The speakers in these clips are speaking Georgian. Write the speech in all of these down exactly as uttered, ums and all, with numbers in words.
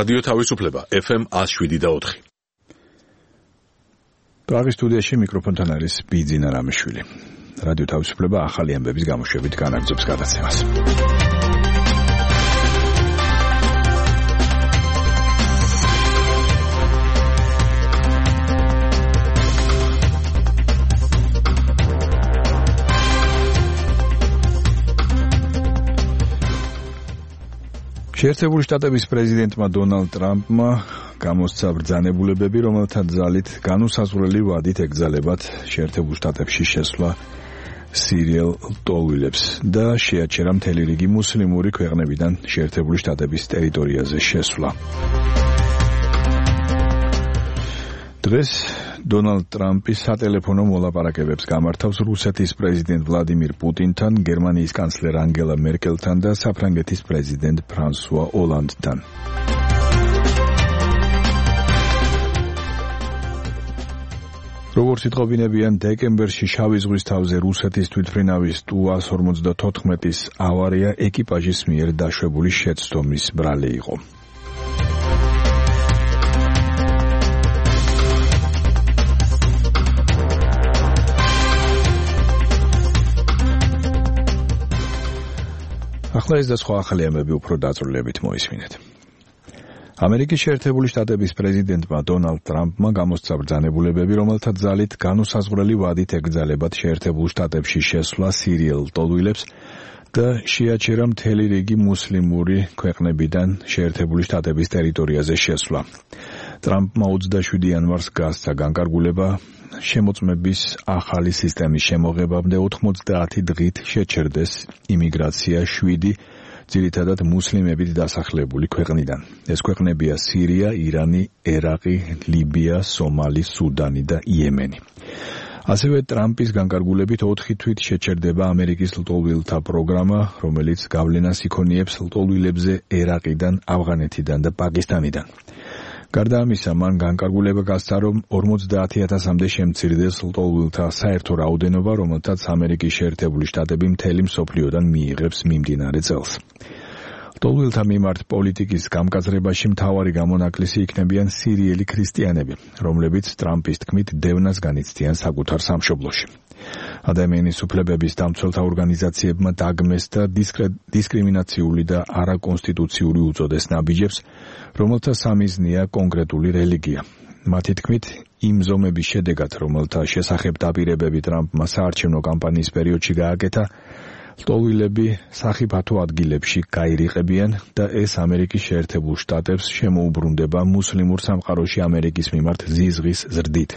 რადიო თავისუფლება ეფ ემ one oh seven და four. პრაღის სტუდიაში მიკროფონთან არის ბიძინა რამიშვილი. რადიო თავისუფლება ახალი ამბების გამოშვებით განაგრძობს გადაცემას. შეერთებული შტატების პრეზიდენტმა დონალდ ტრამპმა გამოსცა ბრძანებულებები, რომელთა ძალით განუსაზღვრელი ვადით ეკრძალებათ შეერთებულ შტატებში შესვლა სირიელ ლტოლვილებს და შეაჩერა მთელი რიგი მუსლიმური ქვეყნებიდან შეერთებული შტატების ტერიტორიაზე შესვლა. დღეს დონალდ ტრამპი სატელეფონო მოლაპარაკებებს გამართავს რუსეთის პრეზიდენტ ვლადიმირ პუტინთან, გერმანიის კანცლერ ანგელა მერკელთან და საფრანგეთის პრეზიდენტ ფრანსუა ოლანდთან. როგორც იტყობინებიან, დეკემბერში შავი ზღვის თავზე რუსეთის თვითმფრინავის ტუ one forty-four-ის ავარია ეკიპაჟის მიერ დაშვებული შეცდომის ბრალი იყო. ახლა ეს და სხვა ახალი ამბები უფრო დაწვრილებით მოისმინეთ. ამერიკის შეერთებული შტატების პრეზიდენტმა დონალდ ტრამპმა გამოსცა ბრძანებულებები, რომელთა ძალით განუსაზღვრელი ვადით ეკრძალებათ შეერთებულ შტატებში შესვლა სირიელ ლტოლვილებს და შეაჩერა მთელი რიგი მუსლიმური ქვეყნებიდან შეერთებული შტატების ტერიტორიაზე შესვლა. ტრამპმა twenty-seven იანვარს გასცა განკარგულება შემოწმების ახალი სისტემის შემოღებამდე ninety დღით შეჩერდეს იმიგრაცია seven ძირითადად მუსლიმებით დასახლებული ქვეყნიდან. ეს ქვეყნებია სირია, ირანი, ერაყი, ლიბია, სომალი, სუდანი და იემენი. ასევე ტრამპის განკარგულებით four თვით შეჩერდება ამერიკის ლტოლვილთა პროგრამა, რომელიც გავლენას იქონიებს ლტოლვილებზე ერაყიდან, ავღანეთიდან და პაკისტანიდან. გარდა ამისა, მან განკარგულება გასცა, რომ forty thousand-მდე შემცირდეს ლტოლვილთა საერთო რაოდენობა, რომელთაც ამერიკის შეერთებული შტატები მთელი მსოფლიოდან მიიღებს მიმდინარე წელს. ლტოლვილთა მიმართ პოლიტიკის გამკაცრებაში მთავარი გამონაკლისი იქნებიან სირიელი ქრისტიანები, რომლებიც ტრამპის თქმით დევნას განიცდიან საკუთარ სამშობლოში. ადამიანის უფლებების დამცველთა ორგანიზაციებმა დაგმეს და დისკრიმინაციული და არაკონსტიტუციური უწოდეს ნაბიჯებს, რომელთა სამიზნეა კონკრეტული რელიგია. მათი თქმით, იმ ზომების შედეგად, რომელთა შესახებ დაპირებები ტრამპმა საარჩევნო კამპანიის პერიოდში გააკეთა, ლტოლვილები სახიფათო ადგილებში გაირიყებიან და ეს ამერიკის შეერთებულ შტატებს შემოუბრუნდება მუსლიმურ სამყაროში ამერიკის მიმართ ზიზღის ზრდით.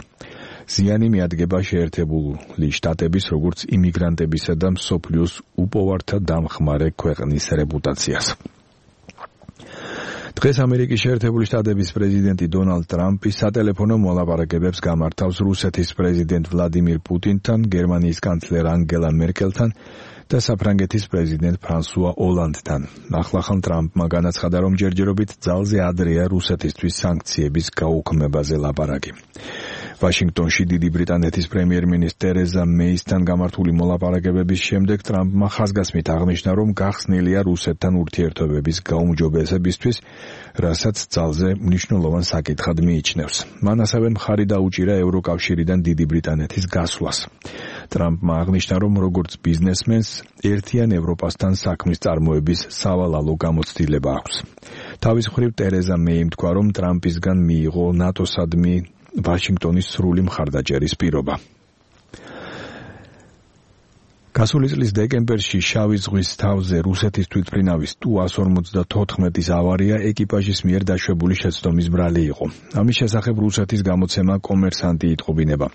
ზიანი მიადგება შეერთებული შტატების როგორც იმიგრანტებისა და მსოფლიოს უპოვართა დამხმარე ქვეყნის რეპუტაციას. დღეს ამერიკის შეერთებული შტატების პრეზიდენტი დონალდ ტრამპი სატელეფონო მოლაპარაკებებს გამართავს რუსეთის პრეზიდენტ ვლადიმირ პუტინთან, გერმანიის კანცლერ ანგელა მერკელთან და საფრანგეთის პრეზიდენტ ფრანსუა ოლანდთან. ახლახან ტრამპმა განაცხადა, რომ ჯერჯერობით ძალზე ადრეა რუსეთისთვის სანქციების გაუქმებაზე ლაპარაკი. ვაშინგტონში დიდი ბრიტანეთის პრემიერ-მინისტრ ტერეზა მეისთან გამართული მოლაპარაკებების შემდეგ ტრამპმა ხაზგასმით აღნიშნა, რომ გახსნილია რუსეთთან ურთიერთობების გაუმჯობესებისთვის, რასაც ძალზე მნიშვნელოვან საკითხად მიიჩნევს. მან ასევე მხარი დაუჭირა ევროკავშირიდან დიდი ბრიტანეთის გასვლას. ტრამპმა აღნიშნა, რომ როგორც ბიზნესმენს ერთიან ევროპასთან საქმის წარმოების სავალალო გამოცდილება აქვს. თავის მხრივ ტერეზა მეიმ თქვა, რომ ტრამპისგან მიიღო ნატოსადმი ვაშინგტონის სრული მხარდაჭერის პირობა. გასული წლის დეკემბერში შავი ზღვის თავზე რუსეთის თვითმფრინავის ტუ one forty-four-ის ავარია ეკიპაჟის მიერ დაშვებული შეცდომის ბრალი იყო. ამის შესახებ რუსეთის გამოცემა კომერსანტი იტყობინება.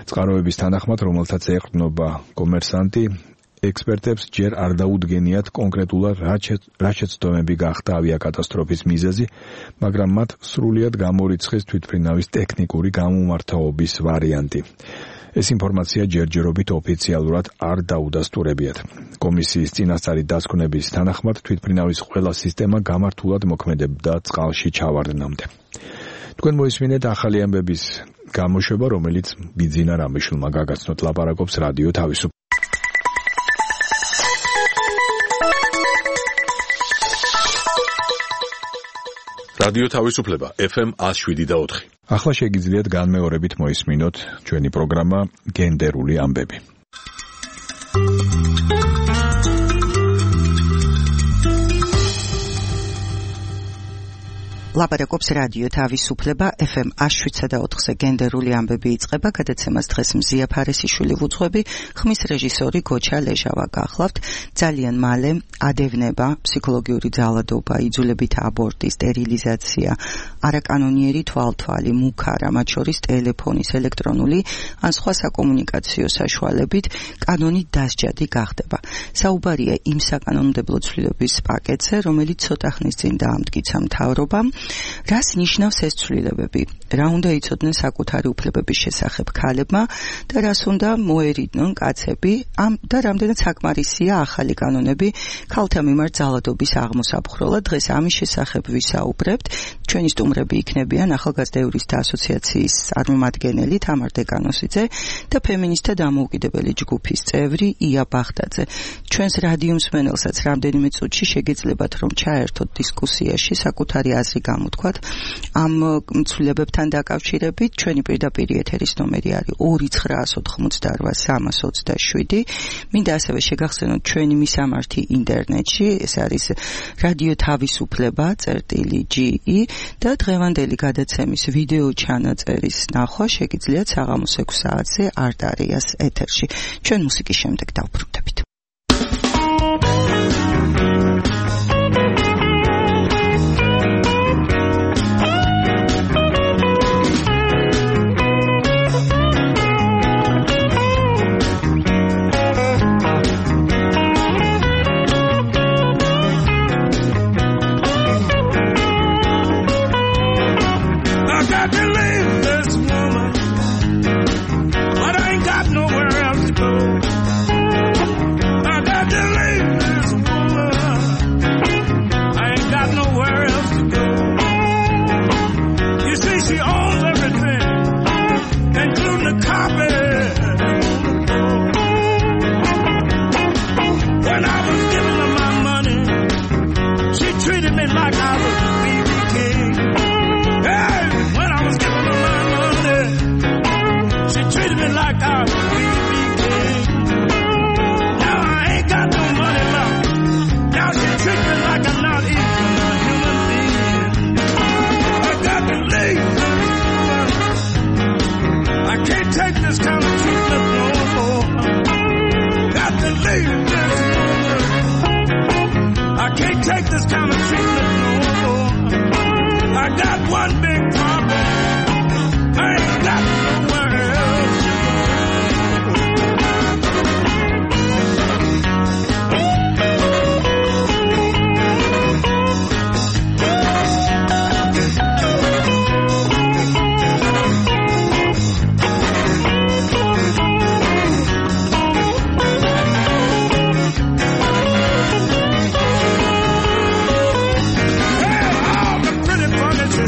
წყაროების თანახმად, რომელთაც ეყრდნობა კომერსანტი, ექსპერტებს ჯერ არ დაუდგენიათ კონკრეტულად რა შეცდომები გახდა ავიაკატასტროფის მიზეზი, მაგრამ მათ სრულიად გამორიცხეს თვითმფრინავის ტექნიკური გამომართაობის ვარიანტი. ეს ინფორმაცია ჯერჯერობით ოფიციალურად არ დაუდასტურებიათ. კომისიის წინასწარი დასკვნების თანახმად თვითმფრინავის ყველა სისტემა გამართულად მოქმედებდა წყალში ჩავარდნამდე. თქვენ მოისმინეთ ახალი ამბების გამოშვება, რომელიც ბიძინა რამიშვილმა გაგაცნოთ, ლაპარაკობს რადიო თავისუფლება. რადიო თავისუფლება ეფ ემ one oh seven point four. ახლა შეგიძლიათ განმეორებით მოისმინოთ ჩვენი პროგრამა გენდერული ამბები. ლაპარაკობს რადიო თავისუფლება ეფ ემ one oh seven point four-ზე გენდერული ამბები იწყება, გადაცემას დღეს მზია ფარესიშვილი ვუძღვები, ხმის რეჟისორი გოჩა ლეჟავა გახლავთ. ძალიან მალე ადევნება, ფსიქოლოგიური ძალადობა, იძულებითი აბორტი, სტერილიზაცია, არაკანონიერი თვალთვალი, მუქარა, მათ შორის ტელეფონის, ელექტრონული ან სხვა საკომუნიკაციო საშუალებით კანონით დასჯადი გახდება. საუბარია იმ საკანონმდებლო ცვლილების პაკეტზე, რომელიც ცოტა ხნის წინ დაამტკიცა მთავრობამ. რას ნიშნავს ეს ცვლილებები? რა უნდა იცოდნენ საკუთარი უფლებების შესახებ ქალებმა და რას უნდა მოერიდნენ კაცები? ამ და რამდენად საკმარისია ახალი კანონები ქალთა მიმართ ძალადობის აღმოსაფხრელად? დღეს ამის შესახებ ვისაუბრებთ. ჩვენი სტუმრები იქნებიან ახალგაზრდა იურისტთა ასოციაციის წარმომადგენელი თამარ დეკანოსიძე და ფემინისტთა დამოუკიდებელი ჯგუფის წევრი ია ბახტაძე. ჩვენს რადიო მსმენელსაც რამდენიმე წუთში შეგეძლებათ რომ ჩაერთოთ დისკუსიაში საკუთარი აზრი გამოთქვათ ამ ცვლილებებთან დაკავშირებით. ჩვენი პირდაპირ ეთერის ნომერი არის ორი ცხრაას ოთხმოცდარვა სამას ოცდაშვიდი. მინდა ასევე შეგახსენოთ ჩვენი მისამართი ინტერნეტში, ეს არის რადიო თავისუფლება წერტილი ჯი ი და დღევანდელი გადაცემის ვიდეო ჩანაწერის ნახვა შეგიძლიათ საღამოს ექვსი საათზე არტარიას ეთერში. ჩვენ მუსიკის შემდეგ დავბრუნდებით.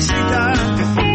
She died.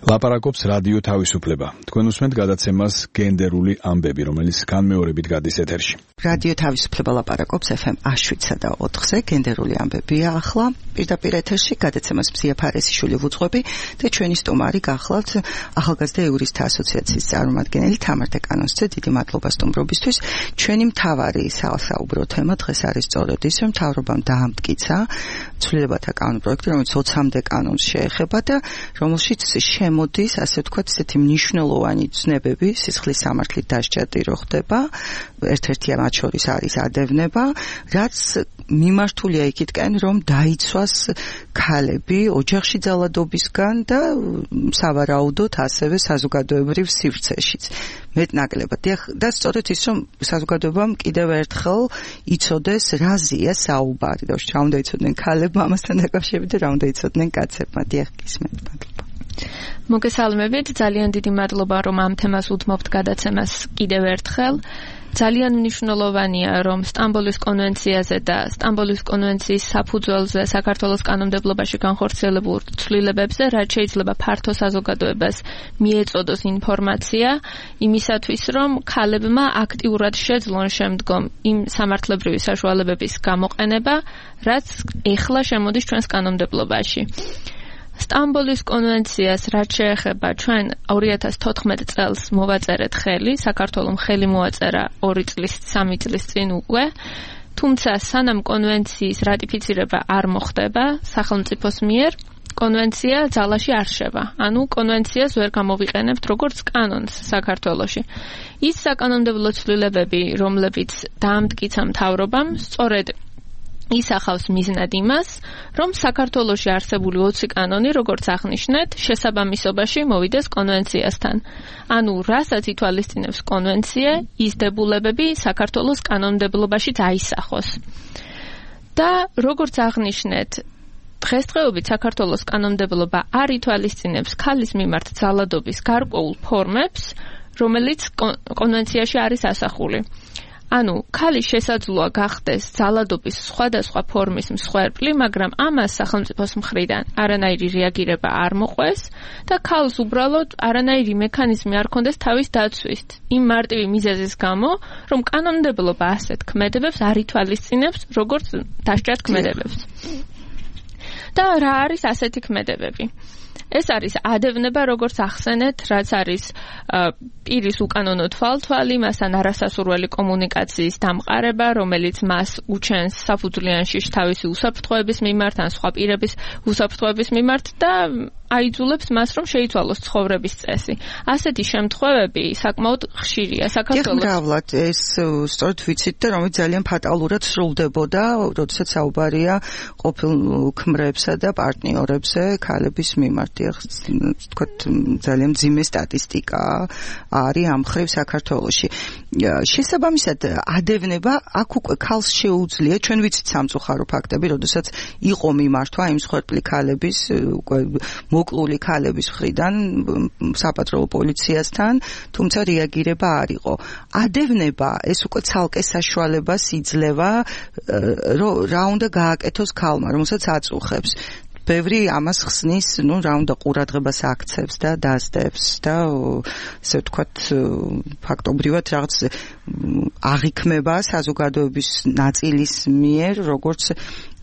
ლაპარაკობს რადიო თავისუფლება. თქვენ უსმენთ გადაცემას გენდერული ამბები, რომელიც განმეორებით გადის ეთერში. რადიო თავისუფლება ლაპარაკობს ეფ ემ შვიდსა და ოთხზე, გენდერული ამბებია ახლა. პირდაპირ ეთერში გადაცემას მზია ფარესიშვილი ვუძღვები და ჩვენი სტუმარი გახლავთ ახალგაზრდა იურისტთა ასოციაციის წარმომადგენელი თამარ დეკანოზძე. დიდი მადლობა სტუმრობისთვის. ჩვენი მთავარი საუბრო თემა დღეს არის სწორედ ის, რომ მთავრობამ დაამტკიცა ცვლილებათა კანონ პროექტი, რომელიც ოცამდე კანონს შეეხება და რომელშიც შემოდის, ასე ვთქვათ, ესეთი მნიშვნელოვანი ცნებები სისხლის სამართლით დასჯადი რო ხდება. ერთ-ერთი მათ შორის არის ადევნება, რაც მიმართულია იქითკენ, რომ დაიცვას ქალები ოჯახში ძალადობისგან და სავარაუდოდ ასევე საზოგადოებრივ სივრცეშიც. მეტნაკლებად და სწორედ ის, რომ საზოგადოებამ კიდევ ერთხელ იცოდეს, რა ზია საუბარი და რა უნდა იცოდნენ ქალებმა ამასთან დაკავშირებით და რა უნდა იცოდნენ კაცებმა. დიახ, გისმენთ, მადლობა. მოგესალმებით, ძალიან დიდი მადლობა, რომ ამ თემას უთმობთ გადაცემას კიდევ ერთხელ. ძალიან მნიშვნელოვანია, რომ სტამბოლის კონვენციაზე და სტამბოლის კონვენციის საფუძველზე საქართველოს კანონმდებლობაში განხორციელებულ ცვლილებებზე, რაც შეიძლება ფართო საზოგადოებას მიეწოდოს ინფორმაცია, იმისათვის, რომ ქალებმა აქტიურად შეძლონ შემდგომ იმ სამართლებრივი საშუალებების გამოყენება, რაც ეხლა შემოდის ჩვენს კანონმდებლობაში. სტამბოლის კონვენციას რაც შეეხება ჩვენ ორი ათას თოთხმეტ წელს მოვაწერეთ ხელი, საქართველომ ხელი მოაწერა ორი წლის, სამი წლის წინ უკვე, თუმცა სანამ კონვენციის რატიფიცირება არ მოხდება სახელმწიფოს მიერ, კონვენცია ძალაში არ შევა. ანუ კონვენციას ვერ გამოვიყენებთ როგორც კანონს საქართველოში. ის საკანონმდებლო ცვლილებები, რომლებიც დაამტკიცა მთავრობამ, სწორედ ისახავს მიზნად იმას, რომ საქართველოში არსებული ოცი კანონი, როგორც აღნიშნეთ, შესაბამისობაში მოვიდეს კონვენციასთან. ანუ რასაც ითვალისწინებს კონვენცია, ის დებულებები საქართველოს კანონმდებლობაში დაისახოს. და როგორც აღნიშნეთ, დღესდღეობით საქართველოს კანონმდებლობა არ ითვალისწინებს ქალის მიმართ ძალადობის გარკვეულ ფორმებს, რომელიც კონვენციაში არის ასახული. ანუ ქალის შესაძლოა გახდეს ძალადობის სხვადასხვა ფორმის მსხვერპლი, მაგრამ ამას სახელმწიფოს მხრიდან არანაირი რეაგირება არ მოყვეს და ქალს უბრალოდ არანაირი მექანიზმი არ ქონდეს თავის დაცვის. იმ მარტივი მიზეზის გამო, რომ კანონმდებლობა ასეთ ქმედებებს არ ითვალისწინებს, როგორც დასჯად ქმედებებს. და რა არის ასეთი ქმედებები? ეს არის ადევნება, როგორც ახსენეთ, რაც არის პირის უკანონო თვალთვალი, მასთან არასასურველი კომუნიკაციის დამყარება, რომელიც მას უჩენს საფუძვლიანში თავისი უსაფრთხოების მიმართ, ან სხვა პირების უსაფრთხოების მიმართ და აიძულებს მას, რომ შეიცვალოს ცხოვრების წესი. ასეთი შემთხვევები საკმაოდ ხშირია საქართველოს. მრავლად ეს სწორედ ვიცით და რომელიც ძალიან ფატალურად სრულდებოდა, როდესაც საუბარია ყოფილ ქმრებსა და პარტნიორებზე ქალების მიმართ. თქვათ ძალიან მძიმე სტატისტიკა არის ამ მხრივ საქართველოში. შესაბამისად ადევნება აქ უკვე ქალს შეუძლია, ჩვენ ვიცით სამწუხარო ფაქტები, როდესაც იყო მიმართვა იმ მსხვერპლი ქალების უკვე მოკლული ქალების მხრიდან საპატრულო პოლიციასთან, თუმცა რეაგირება არ იყო. ადევნება ეს უკვე ცალკე საშუალებას იძლევა, რომ რა უნდა გააკეთოს ქალმა, რომელსაც აწუხებს. ბევრი ამას ხსნის, ну, რა უნდა ყურადღებას აქცევს და დასდებს და ესე ვთქვათ, ფაქტობრივად რაღაც აღიქმება საზოგადოების ნაწილის მიერ, როგორც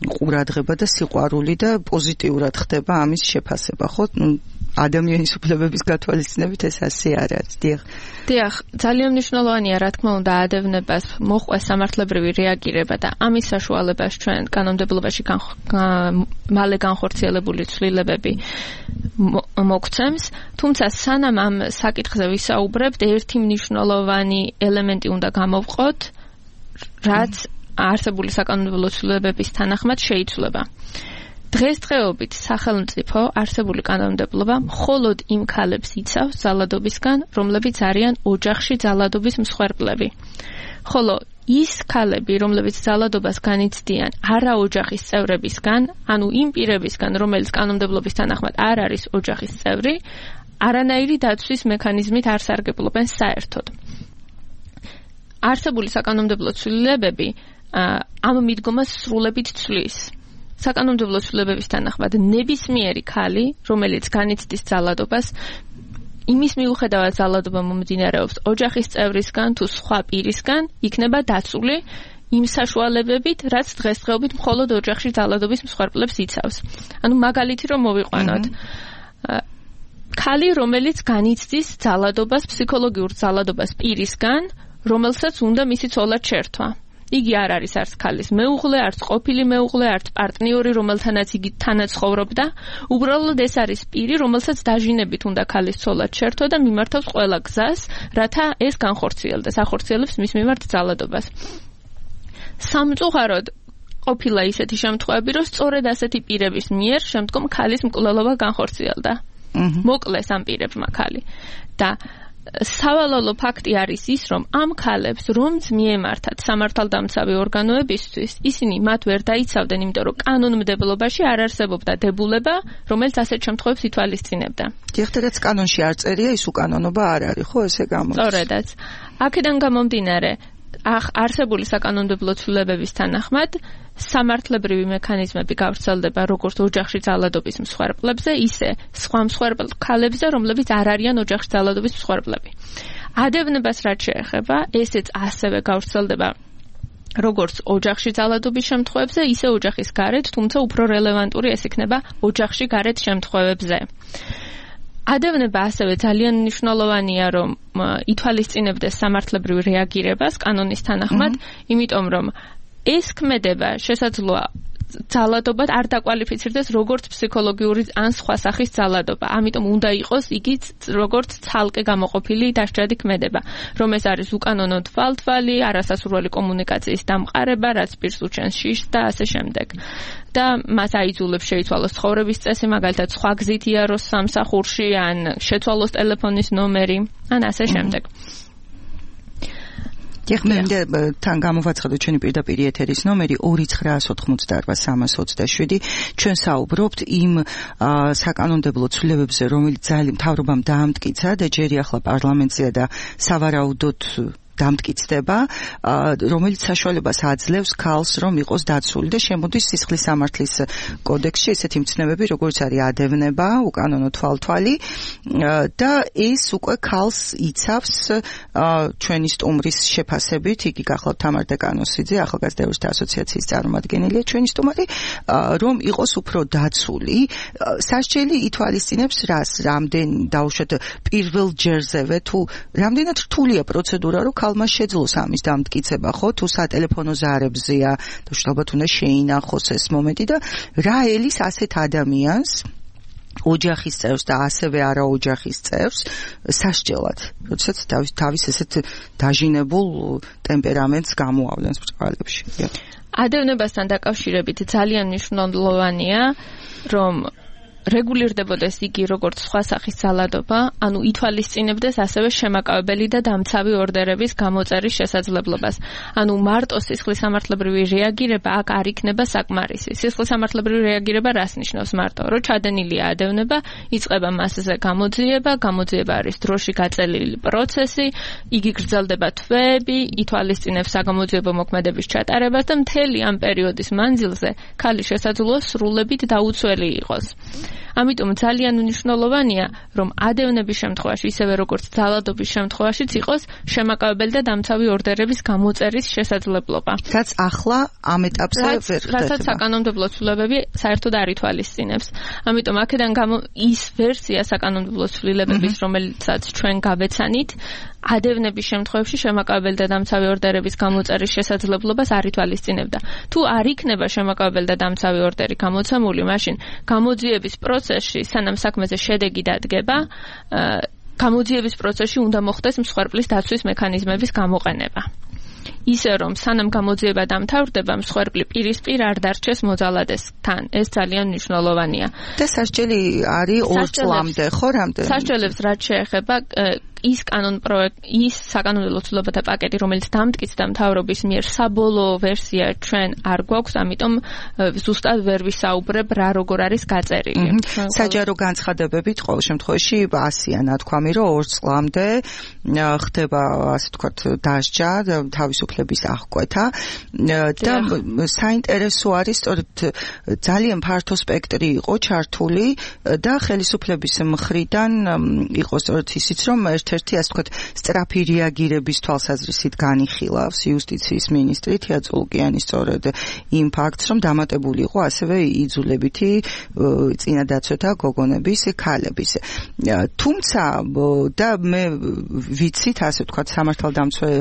ყურადღება და სიყვარული და პოზიტიურად ხდება ამის შეფასება, ხო? ну, ადამიანის უფლებების გათვალისწინებით ეს ასე არ არის. დიახ. დიახ, ძალიან მნიშვნელოვანია, რა თქმა უნდა, ადევნებას მოყვეს სამართლებრივი რეაგირება და ამის საშუალებას ჩვენ კანონმდებლობაში მალე განხორციელებული ცვლილებები მოგცემს, თუმცა სანამ ამ საკითხზე ვისაუბრებთ, ერთი მნიშვნელოვანი ელემენტი უნდა გამოვყოთ, რაც არსებული საკანონმდებლო ცვლილებების თანახმად შეიცვლება. დღესდღეობით სახელმწიფო არსებული კანონმდებლობა მხოლოდ იმ ქალებს იცავს ძალადობისგან, რომლებიც არიან ოჯახში ძალადობის მსხვერპლები. ხოლო ის ქალები, რომლებიც ძალადობას განიცდიან არა ოჯახის წევრებისგან, ანუ იმ პირებისგან, რომელიც კანონმდებლობის თანახმად არ არის ოჯახის წევრი, არანაირი დაცვის მექანიზმით არ სარგებლობენ საერთოდ. არსებული საკანონმდებლო ცვლილებები ამ მიდგომას სრულებით ცვლის. საკანონმდებლო ცვლილებების თანახმად ნებისმიერი ქალი, რომელიც განიცდის ძალადობას, იმის მიუხედავად ძალადობა მომდინარეობს ოჯახის წევრისგან თუ სხვა პირისგან, იქნება დაცული იმ საშუალებებით, რაც დღესდღეობით მხოლოდ ოჯახში ძალადობის მსხვერპლებს იცავს. ანუ მაგალითი რომ მოვიყვანოთ. ქალი, რომელიც განიცდის ძალადობას, ფსიქოლოგიურ ძალადობას პირისგან, რომელსაც უნდა მისი ცოლად შერთვა. იგი არ არის არც ქალის მეუღლე, არც ყოფილი მეუღლე, არც პარტნიორი, რომელთანაც იგი თანაც ცხოვრობდა. უბრალოდ ეს არის პირი, რომელსაც დაჟინებით უნდა ქალის ცოლად შერთვა და მიმართავს ყველა გზას, რათა ეს განხორციელდეს, ახორციელებს მის მიმართ ძალადობას. სამწუხაროდ ყოფილა ისეთი შემთხვევები, რომ სწორედ ასეთი პირების მიერ შემდგომ ქალის მკვლელობა განხორციელდა. მოკლეს ამ პირებმა ქალი. და სავალალო ფაქტი არის ის, რომ ამ ქალებს, რომც მიემართათ სამართალდამცავი ორგანოებისთვის, ისინი მათ ვერ დაიცავდნენ, იმიტომ რომ კანონმდებლობაში არ არსებობდა დებულება, რომელიც ასეთ შემთხვევებს ითვალისწინებდა. დიახ, კანონში არ წერია, ის უკანონობა არ არის, ხო, ესე გამოდის. სწორედაც. აქედან გამომდინარე, ახ არსებული საკანონმდებლო ცვლილებების თანახმად სამართლებრივი მექანიზმები გავრცელდება როგორც ოჯახში ძალადობის მსხვერპლებზე, ისე სხვა მსხვერპლ ქალებზე, რომლებიც არ არიან ოჯახში ძალადობის მსხვერპლები. ადევნებას რაც შეეხება, ესეც ასევე გავრცელდება როგორც ოჯახში ძალადობის შემთხვევებზე, ისე ოჯახის გარეთ, თუმცა უფრო რელევანტური ეს იქნება ოჯახში გარეთ შემთხვევებზე. ადევნება ასევე ძალიან მნიშვნელოვანია, რომ ითვალისწინებდეს სამართლებრივ რეაგირებას კანონის თანახმად, იმიტომ რომ ეს ქმედება შესაძლოა ძალადობად არ დაკვალიფიცირდეს როგორც ფსიქოლოგიური ან სხვა სახის ძალადობა. ამიტომ უნდა იყოს იგი როგორც ცალკე გამოყოფილი დასჯადი ქმედება, რომ ეს არის უკანონო თვალთვალი, არასასურველი კომუნიკაციის დამყარება, რაც პირს უჩენს შიშს და ასე შემდეგ. და მას აიძულებს შეიცვალოს ცხოვრების წესი, მაგალითად სხვა გზით იაროს სამსახურში, ან შეცვალოს ტელეფონის ნომერი, ან ასე შემდეგ. დიახ, მე თან გამოვაცხადოთ ჩვენი პირდაპირ ეთერის ნომერი ორი ცხრაასი ოთხმოცდაარბა სამას ოცდაშვიდი. ჩვენ საუბრობთ იმ საკანონმდებლო ცვლილებებზე, რომელიც ძალიან მთავრობამ დაამტკიცა და ჯერი ახლა პარლამენტზეა და სავარაუდოდ დამტკიცდება, რომელიც საშუალებას აძლევს ქალს, რომ იყოს დაცული და შემოდის სისხლის სამართლის კოდექსში ესეთი მცნებები, როგორც არის ადევნება, უკანონო თვალთვალი და ეს უკვე ქალს იცავს ჩვენი სტუმრის შეფასებით, იგი გახლავთ თამარ დეკანოსიძე, ახალგაზრდა ევრისტთა ასოციაციის წარმომადგენელია ჩვენი სტუმარი, რომ იყოს უფრო დაცული. სასჯელი ითვალისწინებს რას, რამდენ დაუშვათ პირველ ჯერზევე თუ რამდენად რთულია პროცედურა, რომ ქალმა შეძლოს ამის დამტკიცება, ხო, თუ სატელეფონო ზარებზეა, თუ ალბათ უნდა შეინახოს ეს მომენტი და რა ელის ასეთ ადამიანს, ოჯახის წევრს და ასევე არაოჯახის წევრს სასჯელად, როდესაც თავის თავის ესეთ დაჟინებულ ტემპერამენტს გამოავლენს ბრწყალებში. ადევნებასთან დაკავშირებით ძალიან მნიშვნელოვანია, რომ რეგულირდებოდეს იგი როგორც სხვა სახის ძალადობა, ანუ ითვალისწინებდეს ასევე შემაკავებელი და დამცავი ორდერების გამოწერის შესაძლებლობას. ანუ მარტო სისხლის სამართლებრივი რეაგირება აქ არ იქნება საკმარისი. სისხლის სამართლებრივი რეაგირება რას ნიშნავს მარტო? რომ ჩადენილია ადევნება, იწყება მასზე გამოძიება, გამოძიება არის დროში გაწელილი პროცესი, იგი გრძელდება თვეები, ითვალისწინებს საგამოძიებო მოქმედების ჩატარებას და მთელი ამ პერიოდის მანძილზე ქალი შესაძლოა სრულებით დაუცველი იყოს. ამიტომ ძალიან მნიშვნელოვანია, რომ ადევნების შემთხვევაში, ისევე როგორც ძალადობის შემთხვევაშიც იყოს შემაკავებელი და დამცავი ორდერების გამოწერის შესაძლებლობა. რაც ახლა ამ ეტაპზე ვერ ხდება. რასაც საკანონმდებლო ცვლილებები საერთოდ არ ითვალისწინებს. ამიტომ აქედან გამო ის ვერსია საკანონმდებლო ცვლილებების, რომელიცაც ჩვენ გავეცანით, ადევნების შემთხვევაში შემაკავებელი და დამცავი ორდერების გამოწერის შესაძლებლობას არ ითვალისწინებდა. თუ არ იქნება შემაკავებელი და დამცავი ორდერი გამოცემული, მაშინ გამოძიების პროცესში, სანამ საქმეზე შედეგი დადგება, გამოძიების პროცესში უნდა მოხდეს მსხვერპლის დაცვის მექანიზმების გამოყენება. ისე რომ სანამ გამოძიება დამთავრდება, მსხვერპლი პირისპირ არ დარჩეს მოძალადესთან. ეს ძალიან მნიშვნელოვანია. და სასჯელი არის ორ წლამდე, ხო, რამდენი? სასჯელებს რაც შეეხება ის კანონ პროექტ ის საკანონმდებლო ცვლილებათა პაკეტი, რომელიც დამტკიცდა მთავრობის მიერ საბოლოო ვერსია ჩვენ არ გვაქვს, ამიტომ ზუსტად ვერ ვისაუბრებ რა როგორ არის გაწერილი. საჯარო განცხადებებით ყოველ შემთხვევაში ასია ნათქვამი, რომ ორ წლამდე ხდება ასე ვთქვათ დასჯა, თავისუფლების აღკვეთა და საინტერესო არის სწორედ ძალიან ფართო სპექტრი იყო ჩართული და ხელისუფლების მხრიდან იყო სწორედ ისიც, რომ ერთ-ერთი ასე ვთქვათ სწრაფი რეაგირების თვალსაზრისით განიხილავს იუსტიციის მინისტრი თეა წულუკიანი სწორედ იმ ფაქტს, რომ დამატებული იყო ასევე იძულებითი წინადაცვეთა გოგონების ქალების. თუმცა და მე ვიცით ასე ვთქვათ სამართალდამცავი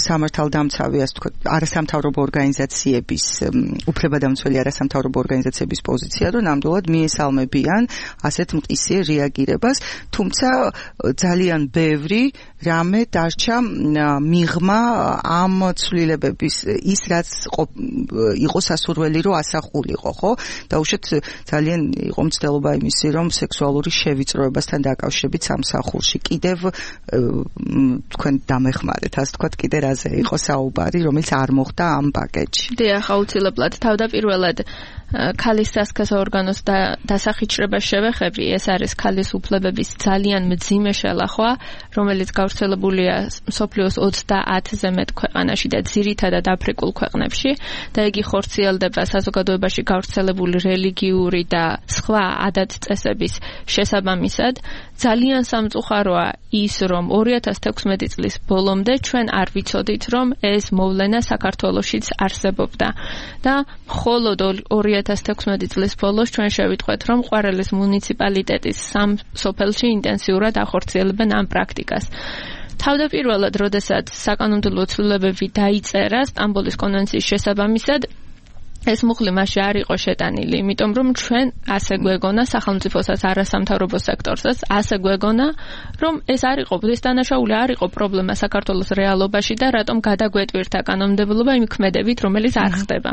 სამართალდამცავი ასე ვთქვათ არასამთავრობო ორგანიზაციების უფლებადამცველი არასამთავრობო ორგანიზაციების პოზიცია, რომ ნამდვილად მიესალმებიან ასეთ მყისიერ რეაგირებას, თუმცა ძალიან ბევრი რამე დარჩა მიღმა ამ ცვლილებების ის რაც იყო სასურველი რომ ასახულიყო, ხო? და უშუალოდ ძალიან იყო მცდელობა იმისი, რომ სექსუალური შევიწროებასთან დაკავშირებით სამსახურში კიდევ თქვენ დამეხმარეთ, ასე ვთქვათ, კიდე რაზე იყო საუბარი, რომელიც არ მოხდა ამ პაკეტში. დიახ, აუცილებლად თავდაპირველად ქალის სასქესო ორგანოს დასახიჩრებას შევეხები, ეს არის ქალის უფლებების ძალიან მძიმე შელახვა, რომელიც გავრცელებულია მსოფლიოს ოცდაათზე მეტ ქვეყანაში და ძირითადად აფრიკულ ქვეყნებში და იგი ხორციელდება საზოგადოებაში გავრცელებული რელიგიური და სხვა ადათ-წესების შესაბამისად. ძალიან სამწუხაროა ის, რომ ორი ათას თექვსმეტი წლის ბოლომდე ჩვენ არ ვიცოდით, რომ ეს მოვლენა საქართველოშიც არსებობდა და მხოლოდ ორი ათას თექვსმეტი წლის ბოლოს ჩვენ შევიტყვეთ, რომ ყვარელის მუნიციპალიტეტის სამ სოფელში ინტენსიურად ახორციელებენ ამ პრაქტიკას. თავდაპირველად, როდესაც საკანონმდებლო ცვლილებები დაიწერა სტამბოლის კონვენციის შესაბამისად, ეს მუხლი მასში არ იყო შეტანილი, იმიტომ რომ ჩვენ ასე გვეგონა სახელმწიფოსაც არასამთავრობო სექტორსაც, ასე გვეგონა, რომ ეს არ იყო ბუდის დანაშაული, არ იყო პრობლემა საქართველოს რეალობაში და რატომ გადაგვეტვირთა კანონმდებლობა იმ ქმედებით, რომელიც არ ხდება.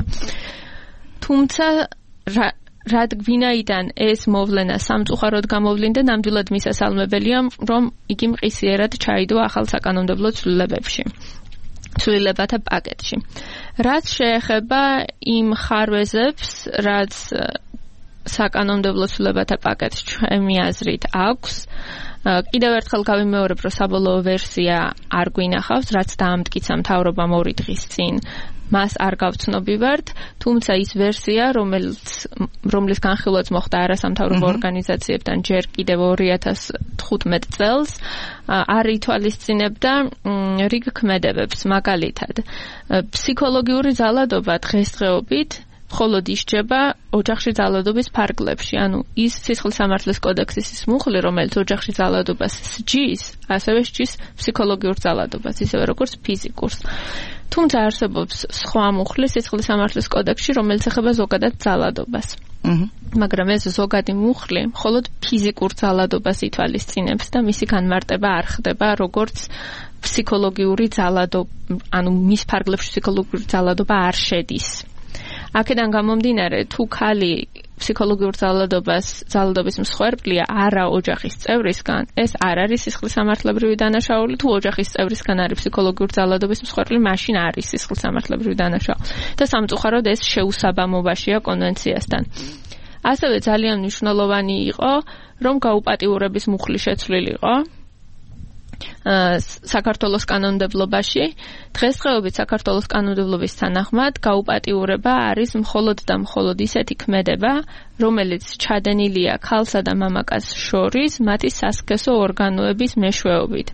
თუმცა რადგინაიდან ეს მოვლენა სამწუხაროდ გამოვლინდა, ნამდვილად მისასალმებელია, რომ იგი მყისიერად ჩაიდო ახალ საკანონმდებლო ცვლილებებში. ცვლილებათა პაკეტში. რაც შეეხება იმ ხარვეზებს, რაც საკანონმდებლო ცვლილებათა პაკეტს ჩემი აზრით აქვს, კიდევ ერთხელ გავიმეორებ, რომ საბოლოო ვერსია არ გვინახავს, რაც დაამტკიცა მთავრობამ ორი დღის წინ. მას არ გავცნობივართ, თუმცა ის ვერსია, რომელიც რომლის განხილვაც მოხდა არასამთავრობო ორგანიზაციებთან ჯერ კიდევ ორი ათას თხუთმეტ წელს, არ ითვალისწინებდა რიგ ქმედებებს, მაგალითად. ფსიქოლოგიური ძალადობა დღესდღეობით მხოლოდ ისჯება ოჯახში ძალადობის ფარგლებში, ანუ ის სისხლის სამართლის კოდექსის ის მუხლი, რომელიც ოჯახში ძალადობას სჯის, ასევე სჯის ფსიქოლოგიურ ძალადობას, ისევე როგორც ფიზიკურს. თუმცა არსებობს სხვა მუხლი სისხლის სამართლის კოდექსში, რომელიც ეხება ზოგადად ძალადობას. მაგრამ ეს ზოგადი მუხლი მხოლოდ ფიზიკურ ძალადობას ითვალისწინებს და მისი განმარტება არ ხდება როგორც ფსიქოლოგიური ძალადობა, ანუ მის ფარგლებში ფსიქოლოგიური ძალადობა არ შედის. აქედან გამომდინარე, თუ ქალი ფსიქოლოგიურ ძალადობას, ძალადობის მსხვერპლია არა ოჯახის წევრისგან, ეს არ არის სისხლის სამართლებრივი დანაშაული, თუ ოჯახის წევრისგან არის ფსიქოლოგიურ ძალადობის მსხვერპლი, მაშინ არის სისხლის სამართლებრივი დანაშაული. და სამწუხაროდ ეს შეუსაბამობაშია კონვენციასთან. ასევე ძალიან მნიშვნელოვანი იყო, რომ გაუპატიურების მუხლი შეცვლილიყო საქართველოს კანონმდებლობაში. დღესდღეობით საქართველოს კანონმდებლობის თანახმად გაუპატიურება არის მხოლოდ და მხოლოდ ისეთი ქმედება, რომელიც ჩადენილია ქალსა და მამაკაცს შორის მათი სასქესო ორგანოების მეშვეობით.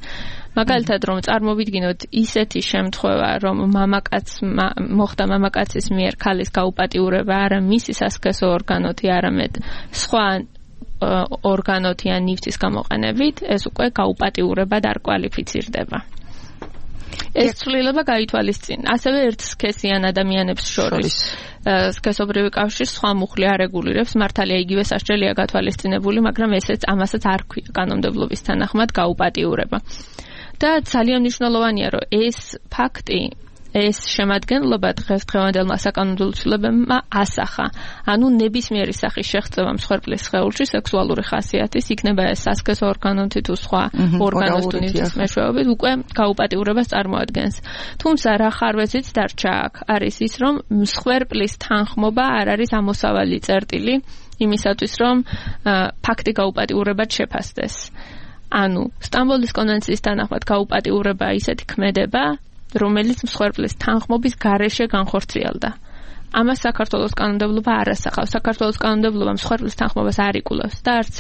მაგალითად, რომ წარმოვიდგინოთ ისეთი შემთხვევა, რომ მამაკაც მოხდა მამაკაცის მიერ ქალის გაუპატიურება არა მისი სასქესო ორგანოთი, არამედ სხვა ორგანოთი ან ნივთის გამოყენებით, ეს უკვე გაუპატიურებად არ კვალიფიცირდება. ეს ცვლილება გაითვალისწინა. ასევე ერთსქესიან ადამიანებს შორის სქესობრივი კავშირი სხვა მუხლი არ რეგულირებს, მართალია იგივე სასჯელია გათვალისწინებული, მაგრამ ესეც ამასაც არ ქვია კანონმდებლობის თანახმად გაუპატიურება. და ძალიან მნიშვნელოვანია, რომ ეს ფაქტი ეს შემადგენლობა დღესდღევანდელმა საკანონმდებლო ცვლილებებმა ასახა. ანუ ნებისმიერი სახის შეღწევა მსხვერპლის სხეულში სექსუალური ხასიათის, იქნება ეს სასქესო ორგანოთი თუ სხვა ორგანოს თუ ნივთის მეშვეობით, უკვე გაუპატიურებას წარმოადგენს. თუმცა რა ხარვეზიც დარჩა აქ არის ის, რომ მსხვერპლის თანხმობა არ არის ამოსავალი წერტილი იმისათვის, რომ ფაქტი გაუპატიურებად შეფასდეს. ანუ სტამბოლის კონვენციის თანახმად გაუპატიურება ისეთი ქმედება, რომელიც მსხვერპლის თანხმობის გარეშე განხორციელდა. ამას საქართველოს კანონმდებლობა არ ასახავს. საქართველოს კანონმდებლობა მსხვერპლის თანხმობას არ იკვლევს და არც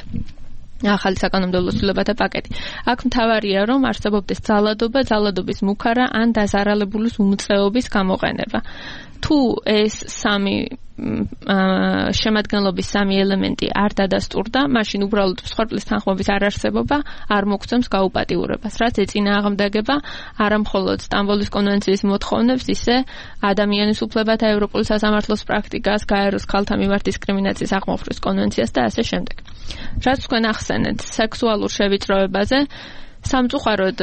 ახალი საკანონმდებლო ცვლილებათა პაკეტი. აქ მთავარია, რომ არსებობდეს ძალადობა, ძალადობის მუქარა ან დაზარალებულის უმწეობის გამოყენება. თუ ეს სამი შემადგენლობის სამი ელემენტი არ დადასტურდა, მაშინ უბრალოდ მსხვერპლის თანხმობის არარსებობა არ მოგცემს გაუპატიურებას, რაც ეწინააღმდეგება არა მხოლოდ სტამბოლის კონვენციის მოთხოვნებს, ისე ადამიანის უფლებათა ევროპული სასამართლოს პრაქტიკას, გაეროს ქალთა მიმართ დისკრიმინაციის აღმოფხრის კონვენციას და ასე შემდეგ. რაც თქვენ ახსენეთ სექსუალურ შევიწროებაზე, სამწუხაროდ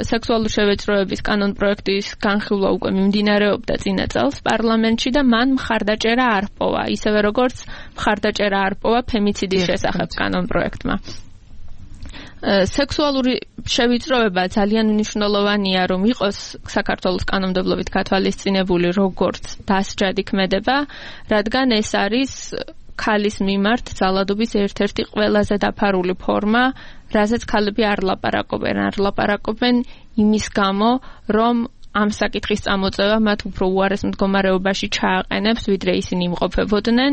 სექსუალური შევიწროების კანონპროექტის განხილვა უკვე მიმდინარეობდა წინა წელს პარლამენტში და მან მხარდაჭერა არ ჰპოვა, ისევე როგორც მხარდაჭერა არ ჰპოვა ფემიციდის შესახებ კანონპროექტმა. სექსუალური შევიწროება ძალიან მნიშვნელოვანია, რომ იყოს საქართველოს კანონმდებლობით გათვალისწინებული როგორც დასჯადი ქმედება, რადგან ეს არის ქალის მიმართ ძალადობის ერთ-ერთი ყველაზე დაფარული ფორმა, რაზეც ქალები არ ლაპარაკობენ, არ ლაპარაკობენ იმის გამო, რომ ამ საკითხის წამოწევა მათ უფრო უარეს მდგომარეობაში ჩააყენებს, ვიდრე ისინი იმყოფებოდნენ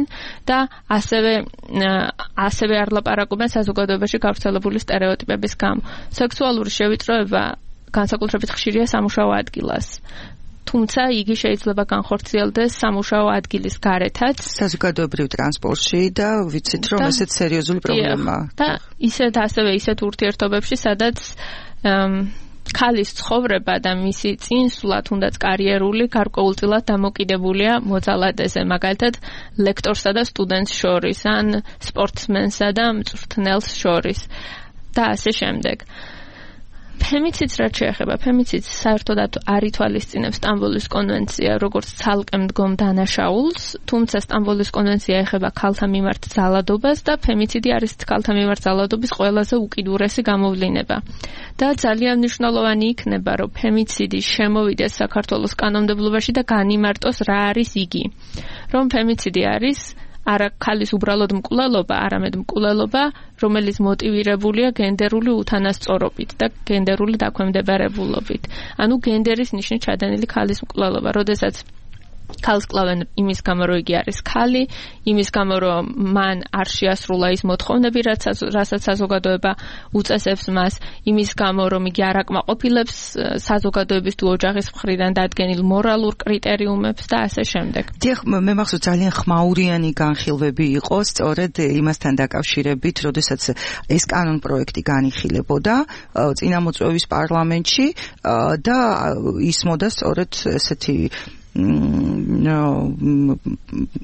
და ასევე ასევე არ ლაპარაკობენ საზოგადოებაში გავრცელებული სტერეოტიპების გამო. სექსუალური შევიწროება განსაკუთრებით ხშირია სამუშაო ადგილას. თუმცა იგი შეიძლება განხორციელდეს სამუშაო ადგილის გარეთაც, საზოგადოებრივ ტრანსპორტში და ვიცით, რომ ესეც სერიოზული პრობლემაა. და ისეთ ასევე ისეთ ურთიერთობებში, სადაც ქალის ცხოვრება და მისი წინსვლა, თუნდაც კარიერული, გარკვეულწილად დამოკიდებულია მოძალადეზე, მაგალითად ლექტორსა და სტუდენტს შორის, ან სპორტსმენსა და მწვრთნელს შორის და ასე შემდეგ. ფემიციდს რაც შეეხება, ფემიციდს საერთოდ არ ითვალისწინებს სტამბოლის კონვენცია როგორც ცალკე მდგომ დანაშაულს, თუმცა სტამბოლის კონვენცია ეხება ქალთა მიმართ ძალადობას და ფემიციდი არის ქალთა მიმართ ძალადობის ყველაზე უკიდურესი გამოვლინება. და ძალიან მნიშვნელოვანი იქნება, რომ ფემიციდი შემოვიდეს საქართველოს კანონმდებლობაში და განიმარტოს რა არის იგი. რომ ფემიციდი არის არა ქალის უბრალოდ მკვლელობა, არამედ მკვლელობა, რომელიც მოტივირებულია გენდერული უთანასწორობით და გენდერული დაქვემდებარებულობით. ანუ გენდერის ნიშნით ჩადენილი ქალის მკვლელობა, როდესაც ქალს კლავენ იმის გამო, რომ იგი არის ქალი, იმის გამო, რომ მან არ შეასრულა ის მოთხოვნები, რასაც საზოგადოება უწესებს მას, იმის გამო, რომ იგი არ აკმაყოფილებს საზოგადოების თუ ოჯახის მხრიდან დადგენილ მორალურ კრიტერიუმებს და ასე შემდეგ. დიახ, მე მახსოვს ძალიან ხმაურიანი განხილვები იყო, სწორედ იმასთან დაკავშირებით, როდესაც ეს კანონპროექტი განიხილებოდა წინამოწვევის პარლამენტში და ისმოდა სწორედ ესეთი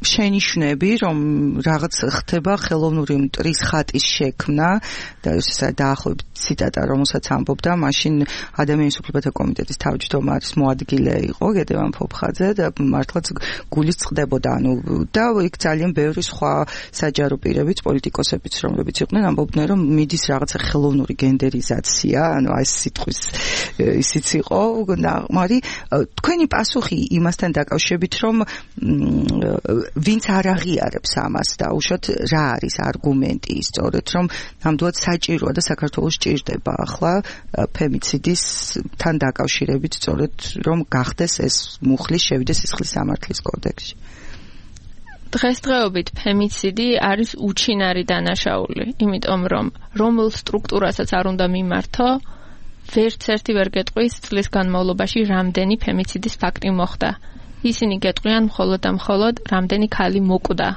შენიშვნები, რომ რაღაც ხდება ხელოვნური მტრის ხატის შექმნა და ეს დაახლოებით ციტატა, რომელსაც ამბობდა, მაშინ ადამიანის უფლებათა კომიტეტის თავმჯდომარის მოადგილე იყო გედევან ფოფხაძე და მართლაც გულიც წყდებოდა, ანუ და იქ ძალიან ბევრი სხვა საჯარო პირებიც, პოლიტიკოსებიც, რომლებიც იყვნენ, ამბობდნენ, რომ მიდის რაღაცა ხელოვნური გენდერიზაცია, ანუ ეს სიტყვის ისიც იყო, მაგრამ თქვენი პასუხი იმას თან დაკავშირებით, რომ ვინც არ აღიარებს ამას და უშოთ რა არის არგუმენტი, სწორედ რომ ნამდვილად საჭიროა და საქართველოს ჭირდება ახლა ფემიციდის თან დაკავშირებით, სწორედ რომ გახდეს ეს მუხლის შევიდეს სისხლის სამართლის კოდექსში. დღესდღეობით ფემიციდი არის უჩინარი დანაშაული, იმიტომ რომ რომელ სტრუქტურასაც არ უნდა მიმართო, ვერც ერთი ვერ გეტყვის წლის განმავლობაში რამდენი ფემიციდის ფაქტი მოხდა. ისინი გეტყვიან მხოლოდ და მხოლოდ რამდენი ქალი მოკვდა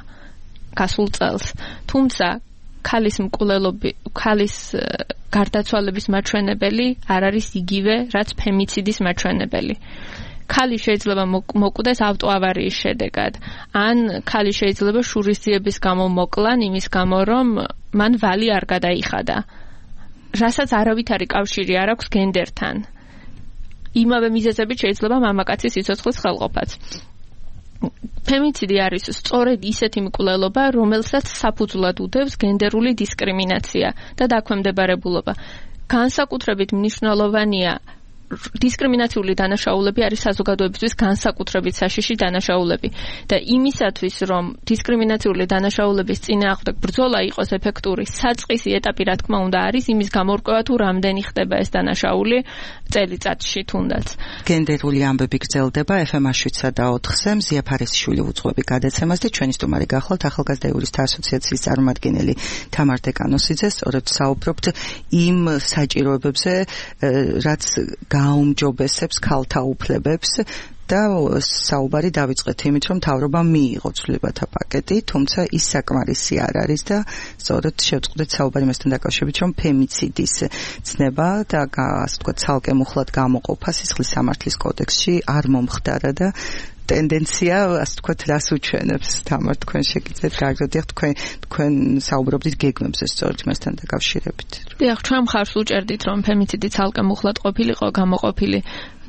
გასულ წელს. თუმცა ქალის მკვლელობი, ქალის გარდაცვალების მაჩვენებელი არ არის იგივე, რაც ფემიციდის მაჩვენებელი. ქალი შეიძლება მოკვდეს ავტოავარიის შედეგად, ან ქალი შეიძლება შურისძიების გამო მოკლან იმის გამო, რომ მან ვალი არ გადაიხადა, რასაც არავითარი კავშირი არ აქვს გენდერთან. იმავე მიზეზებით შეიძლება მამაკაცის სიცოცხლის ხელყოფაც. ფემიციდი არის სწორედ ისეთი მკვლელობა, რომელსაც საფუძვლად უდევს გენდერული დისკრიმინაცია და დაქვემდებარებულობა. განსაკუთრებით მნიშვნელოვანია დისკრიმინაციული დანაშაულები არის საზოგადოებისთვის განსაკუთრებით საშიში დანაშაულები და იმისათვის რომ დისკრიმინაციული დანაშაულების წინააღმდეგ ბრძოლა იყოს ეფექტური, საწყისი ეტაპი რა თქმა უნდა არის იმის გამორკვევა თუ რამდენი ხდება ეს დანაშაული წელიწადში თუნდაც. გენდერული ამბები გრძელდება ეფ ემ შვიდსა და ოთხზე მზია ფარისიშვილი უძღვები გადაცემას და ჩვენი სტუმარი გახლავთ ახალგაზრდა იურისტთა ასოციაციის წარმომადგენელი თამარ დეკანოსიძე. სწორედ საუბრობთ იმ საჭიროებებზე, რაც გაუმჯობესებს ქალთა უფლებებს და საუბარი დავიწყეთ იმით, რომ მთავრობამ მიიღო ცვლილებათა პაკეტი, თუმცა ის საკმარისი არ არის და სწორედ შევწყდეთ საუბარი მასთან დაკავშირებით, რომ ფემიციდის ცნება და ასე ვთქვათ, ცალკე მუხლად გამოყოფა სისხლის სამართლის კოდექსში არ მომხდარა და ტენდენცია, ასე ვთქვათ, რას უჩვენებს თამარ თქვენ შეგიძლიათ გააგრძელოთ თქვენ თქვენ საუბრობდით გეგმებზე სწორედ მასთან დაკავშირებით. დიახ, ჩვენ მხარს უჭერდით, რომ ფემიციდი ცალკე მუხლად ყოფილიყო გამოყოფილი.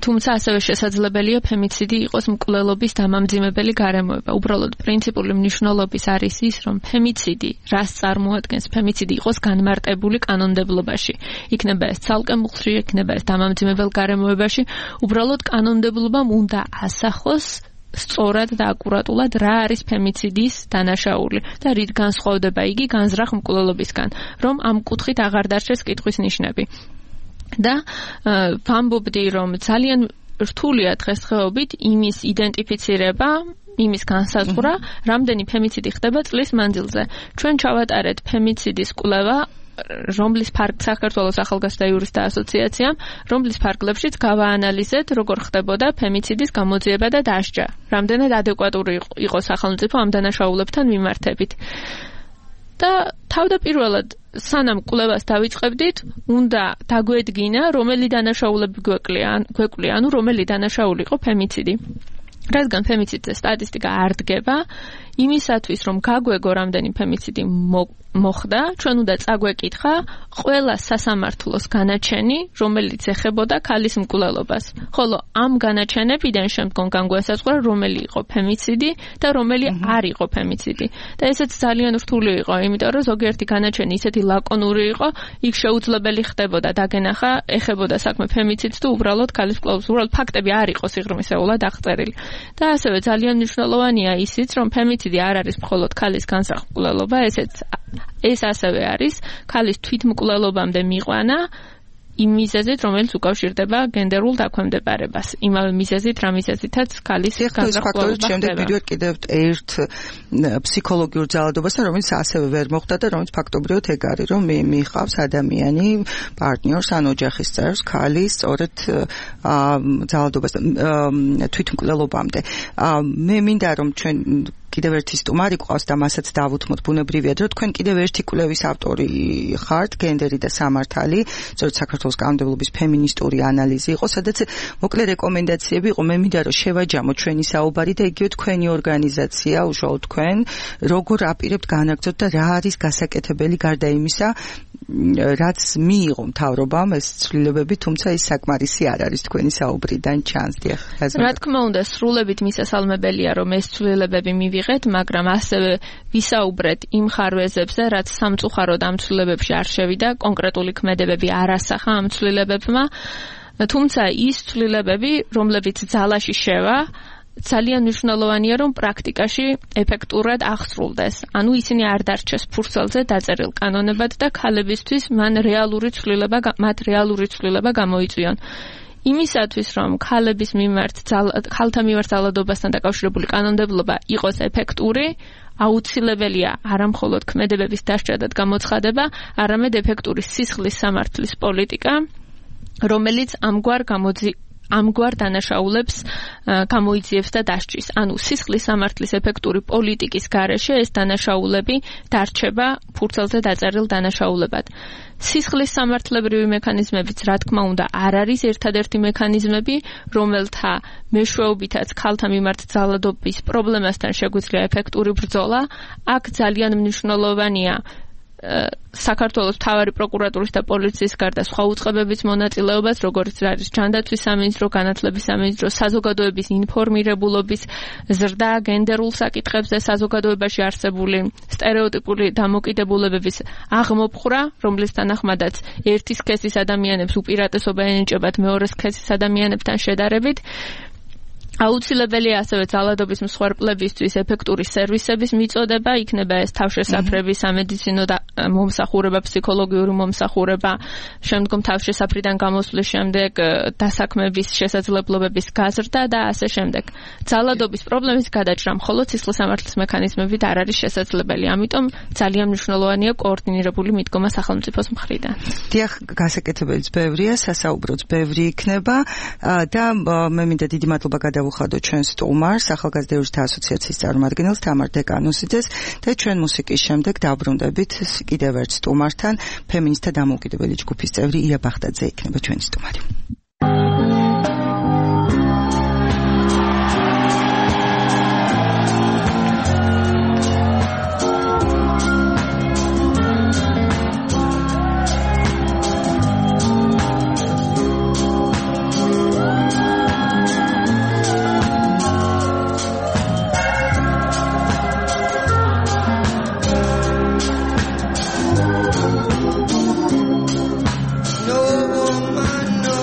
თუმცა ასევე შესაძლებელია ფემიციდი იყოს მკვლელობის დამამძიმებელი გარემოება. უბრალოდ პრინციპული მნიშვნელობის არის ის, რომ ფემიციდი რას წარმოადგენს, ფემიციდი იყოს განმარტებული კანონმდებლობაში. იქნება ეს ცალკე მუხლში, იქნება ეს დამამძიმებელ გარემოებაში. უბრალოდ კანონმდებლობამ უნდა ასახოს სწორად და აკურატულად რა არის ფემიციდის დანაშაული და რით განსხვავდება იგი განზრახ მკვლელობისგან, რომ ამ კუთხით აღარ დარჩეს კითხვის ნიშნები. და ვამბობდი, რომ ძალიან რთულია დღესდღეობით იმის იდენტიფიცირება, იმის განსაზღვრა, რამდენი ფემიციდი ხდება წლის მანძილზე. ჩვენ ჩავატარეთ ფემიციდის კვლევა, რომლის ფარგლ საქართველოს ახალგაზრდა იურისტთა ასოციაციამ, რომლის ფარგლებშიც გავაანალიზეთ, როგორ ხდებოდა ფემიციდის გამოძიება და დასჯა. რამდენად ადეკვატური იყო სახელმწიფო ამ დანაშაულებთან მიმართებით. და თავდაპირველად სანამ კვლევას დავიწყებდით, უნდა დაგვედგინა, რომელი დანაშაულები გვეკლია, გვეკლია, ანუ რომელი დანაშაული იყო ფემიციდი. რადგან ფემიციდზე სტატისტიკა არ დგება, იმისათვის რომ გაგვეგო რამდენი ფემიციდი მოხდა, ჩვენ უნდა წაგვეკითხა ყველა სასამართლოს განაჩენი, რომელიც ეხებოდა ქალის მკვლელობას. ხოლო ამ განაჩენებიდან შემდგომ განგვესაზღვრა, რომელი იყო ფემიციდი და რომელი არ იყო ფემიციდი. და ესეც ძალიან რთული იყო, იმიტომ რომ ზოგიერთი განაჩენი ისეთი ლაკონური იყო, იქ შეუძლებელი ხდებოდა დაგენახა, ეხებოდა საქმე ფემიციდს თუ უბრალოდ ქალის მკვლელობას, უბრალოდ ფაქტები არ იყო სიღრმისეულად აღწერილი. და ასევე ძალიან მნიშვნელოვანია ისიც, რომ ფემიციდი არ არის მხოლოდ ქალის განსახ მკვლელობა, ესეც ეს ასევე არის ქალის თვითმკვლელობამდე მიყვანა იმ მიზეზით, რომელიც უკავშირდება გენდერულ დაქვემდებარებას. იმავე მიზეზით, რა მიზეზითაც ქალის განსახ მკვლელობა ხდება. შემდეგ ვიდეოდ კიდევ ერთ ფსიქოლოგიურ ძალადობასთან, რომელიც ასევე ვერ მოხდა და რომელიც ფაქტობრივად ეგ არის, რომ მიიღავს ადამიანი პარტნიორს ან ოჯახის წევრს ქალის სწორედ ძალადობასთან თვითმკვლელობამდე. მე მინდა რომ ჩვენ კიდევ ერთი სტუმარი ყავს და მასაც დავუთმოთ ბუნებრივია, რომ თქვენ კიდევ ერთი კვლევის ავტორი ხართ, გენდერი და სამართალი, სწორედ საქართველოს კანონმდებლობის ფემინისტური ანალიზი იყო, სადაც მოკლე რეკომენდაციები იყო. მე მინდა რომ შევაჯამოთ ჩვენი საუბარი და იგივე თქვენი ორგანიზაცია, უშუალოდ თქვენ, როგორ აპირებთ განაგრძოთ და რა არის გასაკეთებელი გარდა იმისა, რაც მიიღო მთავრობამ ეს ცვლილებები, თუმცა ის საკმარისი არ არის თქვენი საუბრიდან ჩანს. დიახ, რა თქმა უნდა, სრულებით მისასალმებელია, რომ ეს ცვლილებები მივიღეთ, მაგრამ ასევე ვისაუბრეთ იმ ხარვეზებზე, რაც სამწუხაროდ ამ ცვლილებებში არ შევიდა, კონკრეტული ქმედებები არ ასახა ამ ცვლილებებმა, თუმცა ის ცვლილებები, რომლებიც ძალაში შევა, ძალიან მნიშვნელოვანია, რომ პრაქტიკაში ეფექტურად აღსრულდეს. ანუ ისინი არ დარჩეს ფურცელზე დაწერილ კანონებად და ქალებისთვის მან რეალური ცვლილება, მათ რეალური ცვლილება გამოიწვიონ. იმისათვის, რომ ქალების მიმართ, ქალთა მიმართ ძალადობასთან დაკავშირებული კანონმდებლობა იყოს ეფექტური, აუცილებელია არამხოლოდ ქმედებების დასჯა და გამოცხადება, არამედ ეფექტური სისხლის სამართლის პოლიტიკა, რომელიც ამგვარ გამოძი ამგვარ დანაშაულებს გამოიძიებს და დასჯის. ანუ სისხლის სამართლის ეფექტური პოლიტიკის გარეშე ეს დანაშაულები დარჩება ფურცელზე დაწერილ დანაშაულებად. სისხლის სამართლებრივი მექანიზმებიც, რა თქმა უნდა, არ არის ერთადერთი მექანიზმები, რომელთა მეშვეობითაც ქალთა მიმართ ძალადობის პრობლემასთან შეგვიძლია ეფექტური ბრძოლა. აქ ძალიან მნიშვნელოვანია საქართველოს მთავარი პროკურატურის და პოლიციის გარდა სხვა უწყებების მონაწილეობას, როგორც არის ჯანდაცვის სამინისტრო, განათლების სამინისტრო, საზოგადოების ინფორმირებულობის ზრდა გენდერულ საკითხებზე, საზოგადოებაში არსებული სტერეოტიპული დამოკიდებულებების აღმოფხვრა, რომლის თანახმადაც ერთი სქესის ადამიანებს უპირატესობა ენიჭებათ მეორე სქესის ადამიანებთან შედარებით. აუცილებელია ასევე ძალადობის მსხვერპლებისთვის ეფექტური სერვისების მიწოდება, იქნება ეს თავშესაფრები, სამედიცინო მომსახურება, ფსიქოლოგიური მომსახურება, შემდგომ თავშესაფრიდან გამოსვლის შემდეგ დასაქმების შესაძლებლობების გაზრდა და ასე შემდეგ. ძალადობის პრობლემის გადაჭრა მხოლოდ სისხლის სამართლის მექანიზმებით არ არის შესაძლებელი, ამიტომ ძალიან მნიშვნელოვანია კოორდინირებული მიდგომა სახელმწიფოს მხრიდან. დიახ, გასაკეთებელიც ბევრია, სასაუბროც ბევრი იქნება და მე მინდა დიდი მადლობა გადავუხადო ჩვენ სტუმარს, ახალგაზრდა იურისტთა ასოციაციის წარმომადგენელს თამარ დეკანოსიძეს და ჩვენ მუსიკის შემდეგ დავბრუნდებით კიდევ ერთ სტუმართან, ფემინისტთა დამოუკიდებელი ჯგუფის წევრი ია ბახტაძე იქნება ჩვენი სტუმარი. No woman, no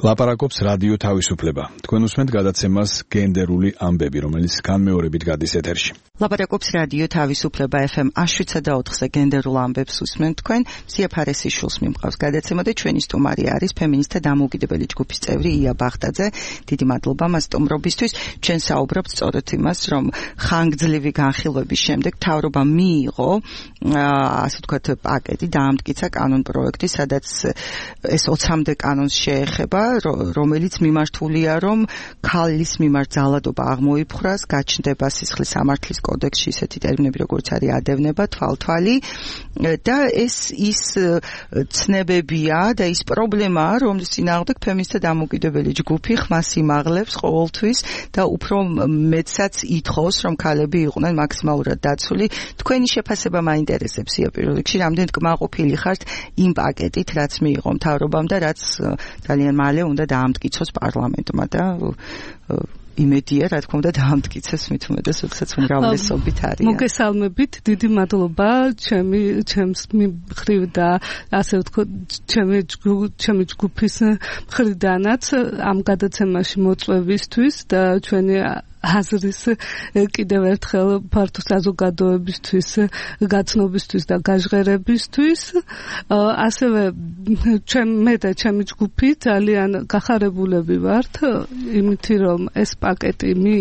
ლაპარაკობს რადიო თავისუფლება. თქვენ უსმენთ გადაცემას გენდერული ამბები, რომელიც განმეორებით გადის ეთერში. ლაპარაკობს რადიო თავისუფლება ეფ ემ შვიდსა და ოთხზე გენდერულ ამბებს უსმენთ თქვენ. ზია ფარესიშვილს მიმყავს გადაცემა და ჩვენი სტუმარი არის ფემინისტთა დამოუკიდებელი ჯგუფის წევრი ია ბახტაძე. დიდი მადლობა მას სტუმრობისთვის. ჩვენ საუბრობთ სწორედ იმას, რომ ხანგრძლივი განხილვების შემდეგ მთავრობა მიიღო ასე ვთქვათ პაკეტი, დაამტკიცა კანონ პროექტი, სადაც ეს ოცამდე კანონს შეეხება, რომელიც მიმართულია, რომ ქალის მიმართ ძალადობა აღმოიფხვრას, გაჩნდება სისხლის სამართლის კოდექსში ისეთი ტერმინები, როგორც არის ადევნება, თვალთვალი და ეს ის ცნებებია და ის პრობლემაა, რომლის წინააღმდეგ ფემინისტთა დამოუკიდებელი ჯგუფი ხმას იმაღლებს ყოველთვის და უფრო მეტსაც ითხოვს, რომ ქალები იყვნენ მაქსიმალურად დაცული. თქვენი შეფასება მაინტერესებს ია პირველ რიგში, რამდენად კმაყოფილი ხართ იმ პაკეტით, რაც მიიღო მთავრობამ და რაც ძალიან მალე უნდა დაამტკიცოს პარლამენტმა და იმედია, რა თქმა უნდა, დაამტკიცეს მით უმეტეს, როდესაც უმრავლესობით არის. მოგესალმებით, დიდი მადლობა ჩემი ჩემს მხრივ და ასე ვთქვათ, ჩემი ჩემი ჯგუფის მხრიდანაც ამ გადაცემაში მოწვევისთვის და ჩვენი აზრის კიდევ ერთხელ ფართო საზოგადოებისთვის, გაცნობისთვის და გაჟღერებისთვის. ასევე ჩემ მე და ჩემი ჯგუფი ძალიან გახარებულები ვართ იმით, რომ ეს პაკეტი მი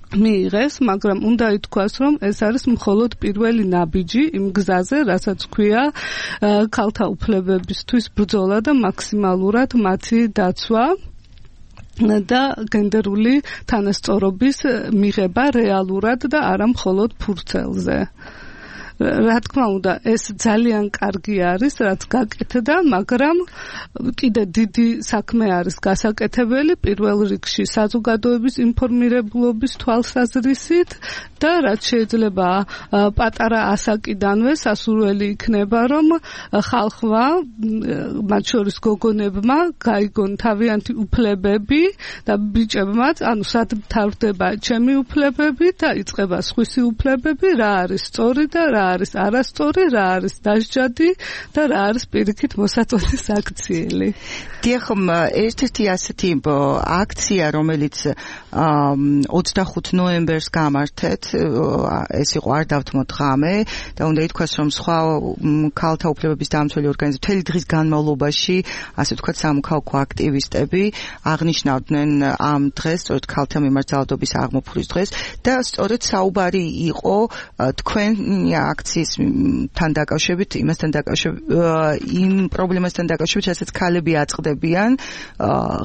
მიიღეს, მაგრამ უნდა ითქვას, რომ ეს არის მხოლოდ პირველი ნაბიჯი იმ გზაზე, რასაც ქვია ქალთა უფლებებისთვის ბრძოლა და მაქსიმალურად მათი დაცვა და გენდერული თანასწორობის მიღება რეალურად და არა მხოლოდ ფურცელზე. რა თქმა უნდა, ეს ძალიან კარგი არის, რაც გაკეთდა, მაგრამ კიდე დიდი საქმე არის გასაკეთებელი პირველ რიგში საზოგადოების ინფორმირებულობის თვალსაზრისით და რაც შეიძლება პატარა ასაკიდანვე სასურველი იქნება, რომ ხალხმა, მათ შორის გოგონებმა გაიგონ თავიანთი უფლებები და ბიჭებმაც, ანუ სად მთავრდება ჩემი უფლებები და იწყება სხვისი უფლებები, რა არის სწორი და რა არის არასწორი, რა არის დასჯადი და რა არის პირიქით მოსაწოდის აქციელი. დიახ, ერთ-ერთი ასეთი აქცია, რომელიც ოცდახუთ ნოემბერს გამართეთ, ეს იყო არ დავთმოთ ღამე და უნდა ითქვას, რომ სხვა ქალთა უფლებების დამცველი ორგანიზაციები მთელი დღის განმავლობაში, ასე ვთქვათ, სამოქალაქო აქტივისტები აღნიშნავდნენ ამ დღეს, სწორედ ქალთა მიმართ ძალადობის აღმოფხვრვის დღეს და სწორედ საუბარი იყო თქვენი აქციისთან დაკავშირებით, იმასთან დაკავშირებით, იმ პრობლემასთან დაკავშირებით, რასაც ქალები აწყდებიან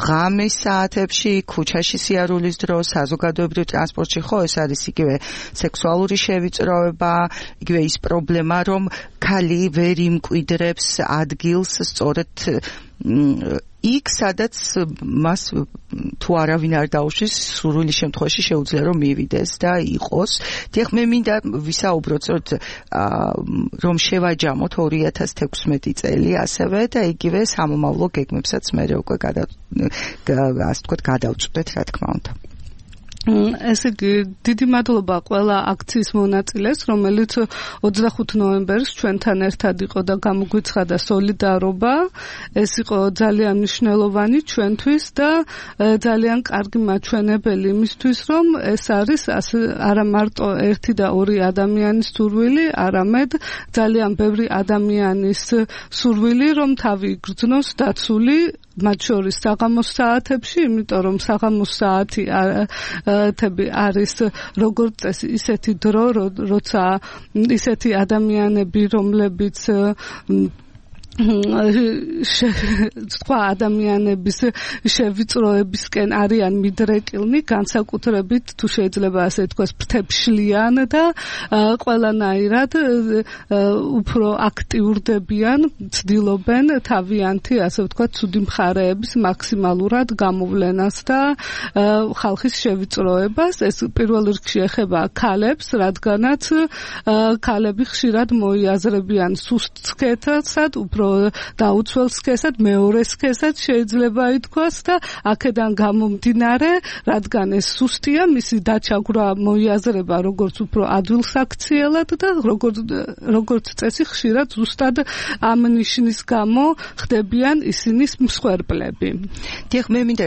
ღამის საათებში, ქუჩაში სიარულის დროს, საზოგადოებრივ ტრანსპორტში, ხო, ეს არის იგივე სექსუალური შევიწროება, იგივე ის პრობლემა, რომ ქალი ვერ იმკვიდრებს ადგილს სწორედ იქ, სადაც მას თუ არავინ არ დაუშვის, სურვილის შემთხვევაში შეუძლია რომ მივიდეს და იყოს. დიახ, მე მინდა ვისაუბროთ, რომ შევაჯამოთ ორი ათას თექვსმეტი წელი ასევე და იგივე სამომავლო გეგმებსაც მე უკვე ასე ვთქვათ გადავწყვეტ, რა თქმა უნდა. ესე იგი, დიდი მადლობა ყველა აქციის მონაწილეს, რომელიც ოცდახუთ ნოემბერს ჩვენთან ერთად იყო და გამოგვიცხადა სოლიდარობა. ეს იყო ძალიან მნიშვნელოვანი ჩვენთვის და ძალიან კარგი მაჩვენებელი იმისთვის, რომ ეს არის არა მარტო ერთი და ორი ადამიანის სურვილი, არამედ ძალიან ბევრი ადამიანის სურვილი, რომ თავი იგრძნოს დაცული მათ შორის საღამოს საათებში, იმიტომ რომ საღამოს საათი თები არის როგორც წესი ისეთი დრო, როცა ისეთი ადამიანები, რომლებიც სხვა ადამიანების შევიწროებისკენ არიან მიდრეკილნი, განსაკუთრებით თუ შეიძლება ასე თქვას ფრთებშლიან და ყველანაირად უფრო აქტიურდებიან, ცდილობენ თავიანთი ასე ვთქვათ ცუდი მხარეების მაქსიმალურად გამოვლენას და ხალხის შევიწროებას. ეს პირველ რიგში ეხება ქალებს, რადგანაც ქალები ხშირად მოიაზრებიან სუსტ სქესად, უფრო უფრო დაუცველ სქესად, მეორე სქესად შეიძლება ითქვას და აქედან გამომდინარე, რადგან ეს სუსტია, მისი დაჩაგვრა მოიაზრება როგორც უფრო ადვილსაქციელად და როგორც როგორც წესი ხშირად ზუსტად ამ ნიშნის გამო ხდებიან ისინის მსხვერპლები. დიახ, მე მინდა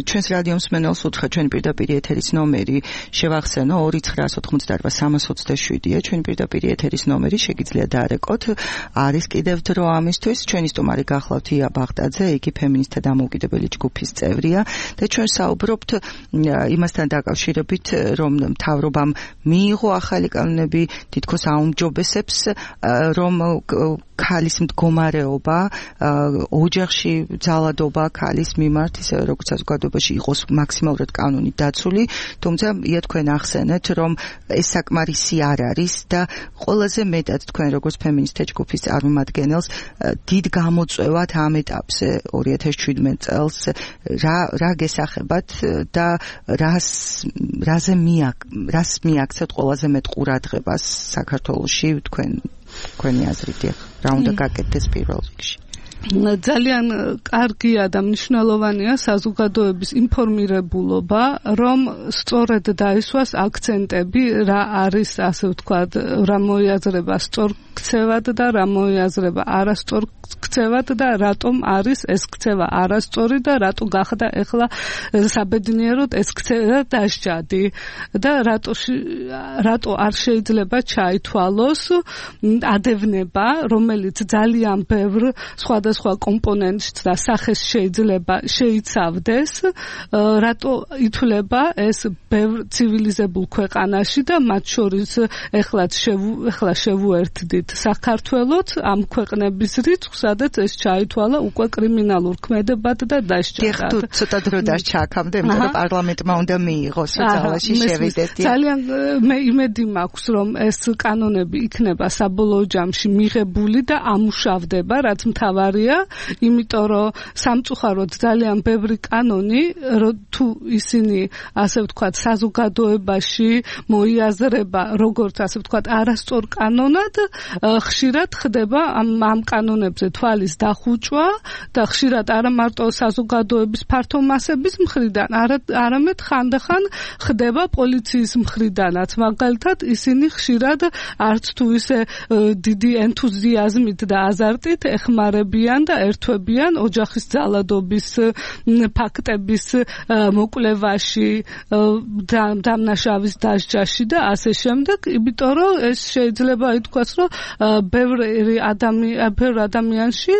ჩვენს რადიო მსმენელს უთხრა ჩვენი პირდაპირ ეთერის ნომერი შევახსენო ორი ცხრა ოთხმოცდაოთხ სამას ოცდაშვიდია ჩვენი პირდაპირ ეთერის ნომერი, შეგიძლიათ დაარეკოთ. არის კიდევ დრო ამისთვის. ჩვენი სტუმარი გახლავთ ია ბაღდაძე, იგი ფემინისტთა დამოუკიდებელი ჯგუფის წევრია და ჩვენ საუბრობთ იმასთან დაკავშირებით, რომ მთავრობამ მიიღო ახალი კანონები, თითქოს აუმჯობესებს, რომ ქალის მდგომარეობა, ოჯახში ძალადობა ქალის მიმართ, ისე როგორც საზოგადოებაში იყოს მაქსიმალურად კანონით დაცული, თუმცა ია თქვენ ახსენეთ, რომ ეს საკმარისი არ არის და ყველაზე მეტად თქვენ როგორც ფემინისტთა ჯგუფის წარმომადგენელს დიდ გამოწვევად ამ ეტაპზე ორი ათას შვიდმეტ წელს რა რა გესახებათ და რას რაზე მიაკ რას მიაქცევთ ყველაზე მეტ ყურადღებას საქართველოში თქვენ თქვენი აზრით რა უნდა გაკეთდეს პირველ რიგში? ძალიან კარგია და მნიშვნელოვანია საზოგადოების ინფორმირებულობა, რომ სწორედ დაისვას აქცენტები, რა არის, ასე ვთქვათ, რა მოიაზრება სწორ ქცევად და რა მოიაზრება არასწორ ქცევად და რატომ არის ეს ქცევა არასწორი და რატო გახდა ეხლა საბედნიეროდ ეს ქცევა დასჯადი და რატო რატო არ შეიძლება ჩაითვალოს ადევნება, რომელიც ძალიან ბევრ სხვადასხვა კომპონენტს და სახეს შეიძლება შეიცავდეს, რატო ითვლება ეს ბევრ ცივილიზებულ ქვეყანაში და მათ შორის ეხლა ეხლა შევუერთდით საქართველოც ამ ქვეყნების რიცხვს, სადაც ეს ჩაითვალა უკვე კრიმინალურ ქმედებად და დასჯადად. თუ ცოტა დრო დასჭა აქამდე, იმიტომ რომ პარლამენტმა უნდა მიიღოს, ძალაში შევიდეთ. ძალიან მე იმედი მაქვს, რომ ეს კანონები იქნება საბოლოო ჯამში მიღებული და ამუშავდება, რაც მთავარია, იმიტომ რომ სამწუხაროდ ძალიან ბევრი კანონი, თუ ისინი, ასე ვთქვათ, საზოგადოებაში მოიაზრება, როგორც ასე ვთქვათ, არასწორ კანონად, ხშირად ხდება ამ ამ კანონებზე თვალის დახუჭვა და ხშირად არა მარტო საზოგადოების ფართო მასების მხრიდან, არამედ ხანდახან ხდება პოლიციის მხრიდანაც. მაგალითად, ისინი ხშირად არც თუ ისე დიდი ენთუზიაზმით და აზარტით ეხმარებიან და ერთვებიან ოჯახის ძალადობის ფაქტების მოკვლევაში, დამნაშავის დასჯაში და ასე შემდეგ, იმიტომ რომ ეს შეიძლება ითქვას, რომ ბევრი ადამიანი ადამიანში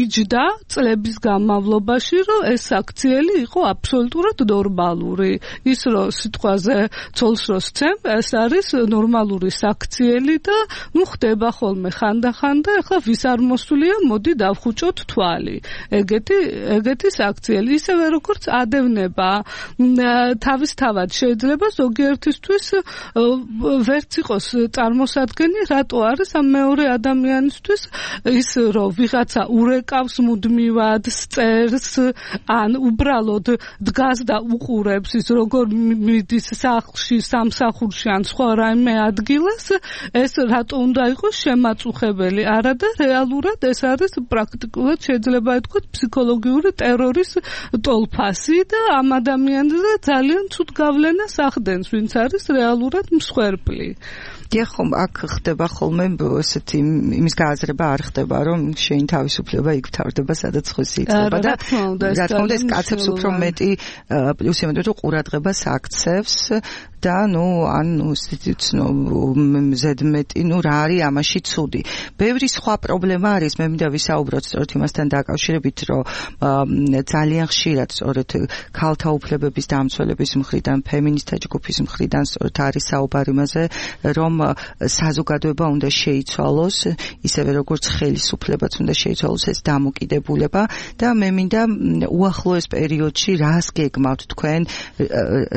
იჯდა წლების განმავლობაში, რომ ეს აქციელი იყო აბსოლუტურად ნორმალური. ის რომ სიტყვაზე ცოლს რო სცემ, ეს არის ნორმალური აქციელი და ნუ ხდება ხოლმე ხანდახან და ახლა ვის არ მოსულია, მოდი დავხუჭოთ თვალი. ეგეთი ეგეთი აქციელი, ისევე როგორც ადევნება თავისთავად შეიძლება ზოგიერთისთვის ვერც იყოს წარმოსადგენი, რატო არის ამ მეორე ადამიანისთვის ის რომ ვიღაცა ურეკავს მუდმივად, წერს, ან უბრალოდ დგას და უყურებს ის როგორ მიდის სახლში, სამსახურში ან სხვა რაიმე ადგილას, ეს რატო უნდა იყოს შემაწუხებელი? არა და რეალურად ეს არის პრაქტიკულად შეიძლება ითქვას ფსიქოლოგიური ტერორის ტოლფასი და ამ ადამიანზე ძალიან ცუდ გავლენას ახდენს, ვინც არის რეალურად მსხვერპლი. დიახ, აქ ხდება ხოლმე ესეთი იმის გააზრება არ ხდება, რომ შენი თავისუფლება იქ ვთავრდება, სადაც ხოსი იწება და რა თქმა უნდა ეს კაცებს უფრო მეტი პლუსი ამიტომ რომ ყურადღებას აქცევს და ნუ ან ნუ ცნო ზედმეტი, ნუ რა არის ამაში ცუდი. ბევრი სხვა პრობლემა არის, მე მინდა ვისაუბროთ სწორედ იმასთან დაკავშირებით, რომ ძალიან ხშირად სწორედ ქალთა უფლებების დამცველების მხრიდან, ფემინისტთა ჯგუფის მხრიდან სწორედ არის საუბარი იმაზე, რომ საზოგადოება უნდა შეიცვალოს, ისევე როგორც ხელისუფლებაც უნდა შეიცვალოს ეს დამოკიდებულება და მე მინდა უახლოეს პერიოდში რას გეგმავთ თქვენ,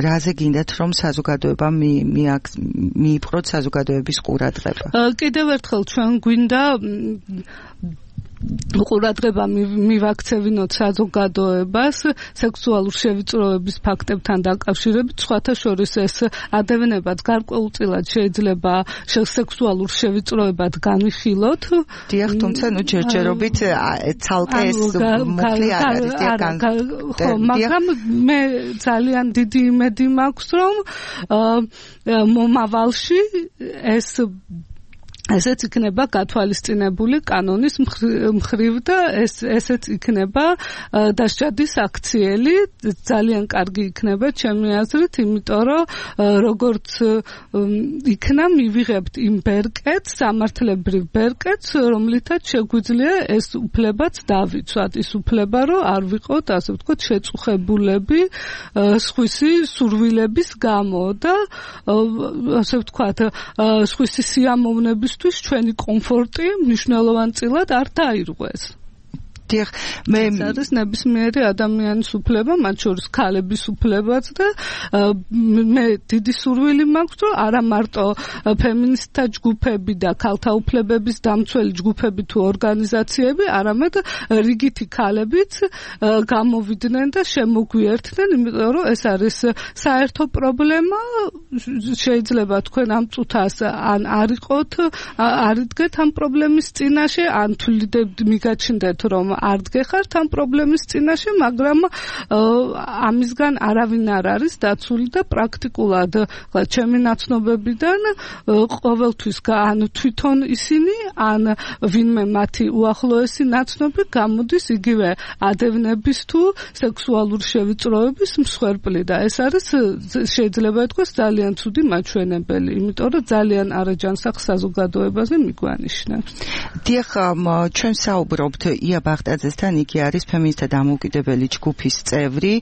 რაზე გინდათ რომ საზოგადოება მიიპყროთ საზოგადოების ყურადღება? კიდევ ერთხელ ჩვენ გვინდა ყურადღება მივაქცევინოთ საზოგადოებას სექსუალურ შევიწროების ფაქტებთან დაკავშირებით, სხვათა შორის ეს ადევნებაც გარკვეულწილად შეიძლება სექსუალურ შევიწროებად განვიხილოთ. დიახ, თუმცა ნუ ჯერჯერობით ცალკე ეს მოკლე არ არის დიახ. ხო, მაგრამ მე ძალიან დიდი იმედი მაქვს, რომ მომავალში ეს ესეც იქნება გათვალისწინებული კანონის მხრივ და ეს ესეც იქნება დასჯადის აქციელი, ძალიან კარგი იქნება ჩემი აზრით, იმიტომ რომ როგორც იქნა მივიღებთ იმ ბერკეტს, სამართლებრივ ბერკეტს, რომლითაც შეგვიძლია ეს უფლებაც დავიცვათ, ის უფლება რომ არ ვიყოთ, ასე ვთქვათ, შეწუხებულები სხვისი სურვილების გამო და ასე ვთქვათ, სხვისი სიამოვნების ჩვენი კომფორტი მნიშვნელოვანწილად არ დაირღვეს. დიახ, მე ეს ნებისმიერი ადამიანის უფლება, მათ შორის ქალების უფლებაც და მე დიდი სურვილი მაქვს, რომ არა მარტო ფემინისტთა ჯგუფები და ქალთა უფლებების დამცველი ჯგუფები თუ ორგანიზაციები, არამედ რიგითი ქალებიც გამოვიდნენ და შემოგვიერთდნენ, იმიტომ რომ ეს არის საერთო პრობლემა, შეიძლება თქვენ ამ წუთას ან არ იყოთ, არ იდგეთ ამ პრობლემის წინაშე, ან თვლიდებთ მიგაჩნდეთ, რომ არ დგეხართ ამ პრობლემის წინაშე, მაგრამ ამისგან არავინ არ არის დაცული და პრაქტიკულად ჩემი ნაცნობებიდან ყოველთვის ან თვითონ ისინი, ან ვინმე მათი უახლოესი ნაცნობი გამოდის იგივე ადევნების თუ სექსუალური შევიწროების მსხვერპლი და ეს არის შეიძლება ითქვას ძალიან ცუდი მაჩვენებელი, იმიტომ რომ ძალიან არაჯანსაღ საზოგადოებაზე მიგვანიშნებს. დიახ, ჩვენ საუბრობთ ია ბახტაძესთან, იგი არის ფემინისტთა დამოუკიდებელი ჯგუფის წევრი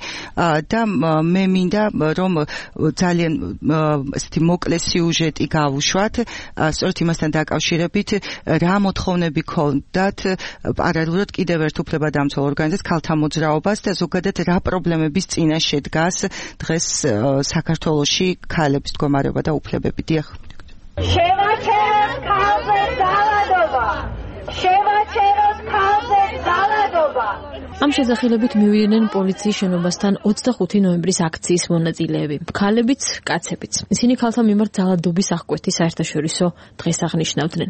და მე მინდა რომ ძალიან ესეთი მოკლე სიუჟეტი გავუშვათ, სწორედ იმასთან დაკავშირებით, რა მოთხოვნები ქონდათ პარალელურად კიდევ ერთ უფლებადამცველ ორგანიზაციას ქალთა მოძრაობას და ზოგადად რა პრობლემების წინაშე დგას დღეს საქართველოში ქალების მდგომარეობა და უფლებები. დიახ. შევაჩეროთ ქალზე ძალადობა. შევაჩეროთ ქალზე ძალადობა. ამ შესახელებით მივიდნენ პოლიციის შენობასთან ოცდახუთი ნოემბრის აქციის მონაწილეები, ქალებიც, კაცებიც. ისინი ქალთა მიმართ ძალადობის აღკვეთის საერთაშორისო დღეს აღნიშნავდნენ.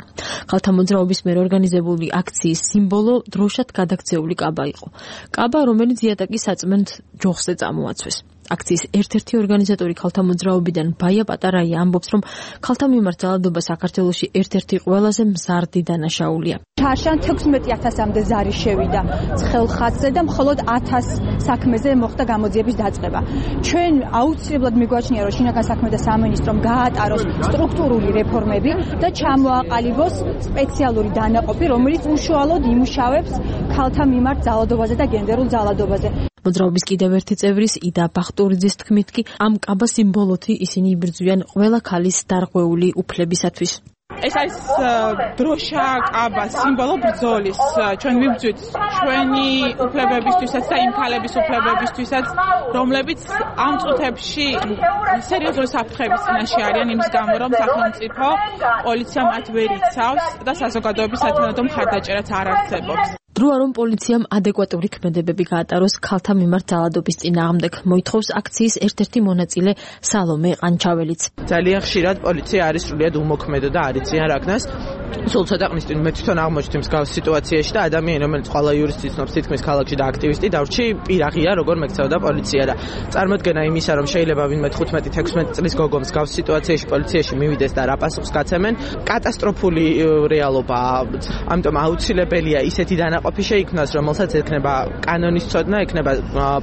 ქალთა მოძრაობის მიერ ორგანიზებული აქციის სიმბოლო დროშად გადაქცეული კაბა იყო. კაბა, რომელიც იატაკის საწმენდ ჯოხზე წამოაცვეს. აქციის ერთ-ერთი ორგანიზატორი ქალთა მოძრაობიდან ბაია პატარაია ამბობს, რომ ქალთა მიმართ ძალადობა საქართველოში ერთ-ერთი ყველაზე მზარდი დანაშაულია. ჩარშან თექვსმეტი ათასამდე ზარი შევიდა ცხელ ხაზზე და მხოლოდ ათას საქმეზე მოხდა გამოძიების დაწყება. ჩვენ აუცილებლად მიგვაჩნია, რომ შინაგან საქმეთა სამინისტრომ გაატაროს სტრუქტურული რეფორმები და ჩამოაყალიბოს სპეციალური დანაყოფი, რომელიც უშუალოდ იმუშავებს ქალთა მიმართ ძალადობაზე და გენდერულ ძალადობაზე. მოძრაობის კიდევ ერთი წევრის იდა ბახტურიძის თქმით კი ამ კაბა სიმბოლოთი ისინი იბრძვიან ყველა ქალის დარღვეული უფლებისათვის. ეს არის დროშა, კაბა, სიმბოლო ბრძოლის. ჩვენ ვიბრძვით ჩვენი უფლებებისთვისაც და იმ ქალების უფლებებისთვისაც, რომლებიც ამ წუთებში სერიოზული საფრთხების წინაშე არიან იმის გამო, რომ სახელმწიფო პოლიცია მათ ვერ იცავს და საზოგადოების სათანადო მხარდაჭერაც არ არსებობს. დროა რომ პოლიციამ ადეკვატური ქმედებები გაატაროს ქალთა მიმართ ძალადობის წინააღმდეგ, მოითხოვს აქციის ერთ-ერთი მონაწილე სალომე ყანჩაველიც. ძალიან ხშირად პოლიცია არის სრულიად უმოქმედო და არ იციან რა ქნას. სულ ცოტაყნის წინ მე თვითონ აღმოჩნდი მსგავს სიტუაციაში და ადამიანი, რომელიც ყველა იურისტი ცნობს თითქმის ქალაქში და აქტივისტი დავრჩი პირაღია, როგორ მექცეოდა პოლიცია და წარმოდგენა იმისა, რომ შეიძლება ვინმე თხუთმეტი თექვსმეტი წლის გოგო მსგავს სიტუაციაში პოლიციაში მივიდეს და რა პასუხს გაცემენ, კატასტროფული რეალობაა. ამიტომ აუცილებელია ისეთი დანაყოფი შეიქმნას, რომელსაც ექნება კანონის ცოდნა, ექნება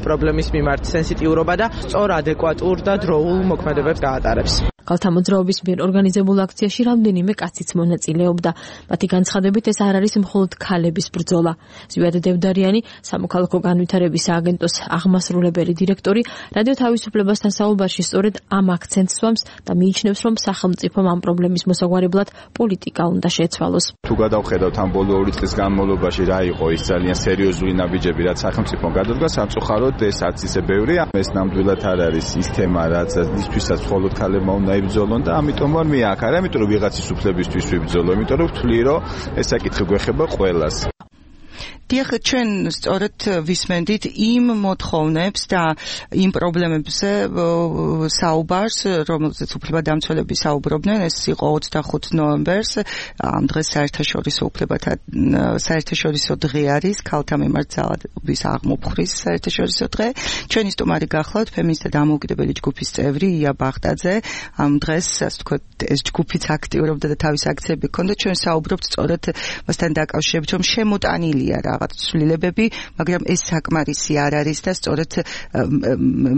პრობლემის მიმართ სენსიტიურობა და სწორ ადეკვატურ და დროულ მოქმედებებს გაატარებს. ქალთა მოძრაობის მიერ ორგანიზებულ აქციაში რამდენიმე კაციც მონაწილეობდა. მათი განცხადებით ეს არ არის მხოლოდ ქალების ბრძოლა. ზვიად დევდარიანი, სამოქალაქო განვითარების სააგენტოს აღმასრულებელი დირექტორი, რადიო თავისუფლებასთან საუბარში სწორედ ამ აქცენტს სვამს და მიიჩნევს, რომ სახელმწიფომ ამ პრობლემის მოსაგვარებლად პოლიტიკა უნდა შეცვალოს. თუ გადავხედავთ ამ ბოლო ორი წლის განმავლობაში რა იყო ის ძალიან სერიოზული ნაბიჯები, რაც სახელმწიფომ გადადგა, სამწუხაროდ ეს არც ისე ბევრია. ეს ნამდვილად არ არის ის თემა, რაც ისთვისაც მხოლოდ ქალებმა უნდა იბრძოლონ და ამიტომ არ მეაქ, არა, იმიტომ რომ ვიღაცის უფლებისთვის ვიბრძოლო, იმიტომ რომ ვთვლი, რომ ეს საკითხი გვეხება ყველას. დიახ, ჩვენ სწორედ ვისმენდით იმ მოთხოვნებს და იმ პრობლემებზე საუბარს, რომელზეც უფლებადამცველები საუბრობდნენ, ეს იყო ოცდახუთი ნოემბერს, ამ დღეს საერთაშორისო უფლებათა საერთაშორისო დღე არის, ქალთა მიმართ ძალადობის აღმოფხრის საერთაშორისო დღე. ჩვენი სტუმარი გახლავთ ფემინისტთა დამოუკიდებელი ჯგუფის წევრი ია ბახტაძე. ამ დღეს, ასე ვთქვათ, ეს ჯგუფიც აქტიურობდა და თავის აქციები ჰქონდა. ჩვენ საუბრობთ სწორედ მასთან დაკავშირებით, რომ შემოტანილია რაღაც ცვლილებები, მაგრამ ეს საკმარისი არ არის და სწორედ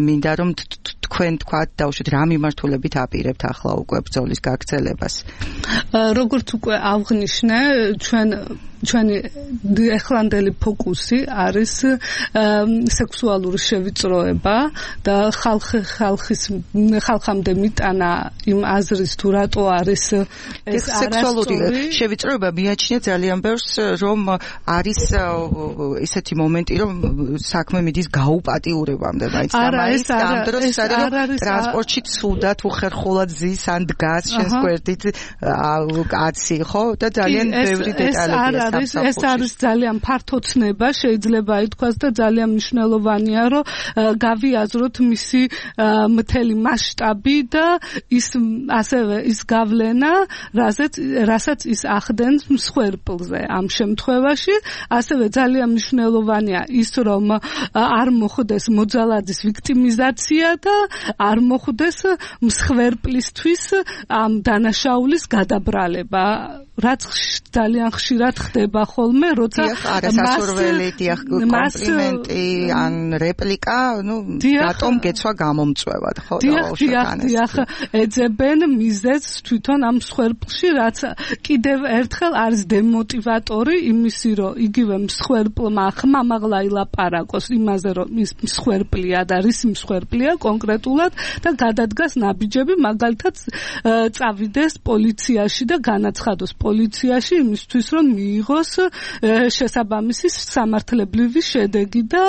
მინდა რომ თქვენ თქვათ დაუშვით რა მიმართულებით აპირებთ ახლა უკვე ბრძოლის გაგრძელებას. როგორც უკვე აღნიშნე, ჩვენ ჩვენი ეხლანდელი ფოკუსი არის სექსუალური შევიწროება და ხალხი ხალხის ხალხამდე მიტანა იმ აზრის თუ რატო არის ეს სექსუალური შევიწროება მიაჩნია ძალიან ბევრს, რომ არის ესეთი მომენტი, რომ საქმე მიდის გაუპატიურებამდე, მაინც და მაინც ამ დროს ის არის, რომ ტრანსპორტში ცუდად უხერხულად ზის ან დგას შენს გვერდით კაცი, ხო? და ძალიან ბევრი დეტალებია. ეს ეს არის ძალიან ფართო ცნება, შეიძლება ითქვას და ძალიან მნიშვნელოვანია, რომ გავიაზროთ მისი მთელი მასშტაბი და ის ასევე ის გავლენა, რასაც რასაც ის ახდენს მსხვერპლზე ამ შემთხვევაში, ასევე ძალიან მნიშვნელოვანია ის, რომ არ მოხდეს მოძალადის ვიქტიმიზაცია და არ მოხდეს მსხვერპლისთვის ამ დანაშაულის გადაბრალება, რაც ძალიან ხშირად ხდება ხოლმე, როცა არასასურველი დიახ კომპლიმენტი ან რეპლიკა, ну, რატომ გეცვა გამომწვევად, ხო? დიახ, ეძებენ მიზეზს თვითონ ამ მსხვერპლში, რაც კიდევ ერთხელ არის დემოტივატორი იმისი, რომ იგივე მსხვერპლმა ხმამაღლა ილაპარაკოს იმაზე, რომ ის მსხვერპლია და რის მსხვერპლია კონკრეტულად და გადადგას ნაბიჯები, მაგალითად წავიდეს პოლიციაში და განაცხადოს პოლიციაში იმისთვის, რომ მიიღოს შესაბამისი სამართლებრივი შედეგი და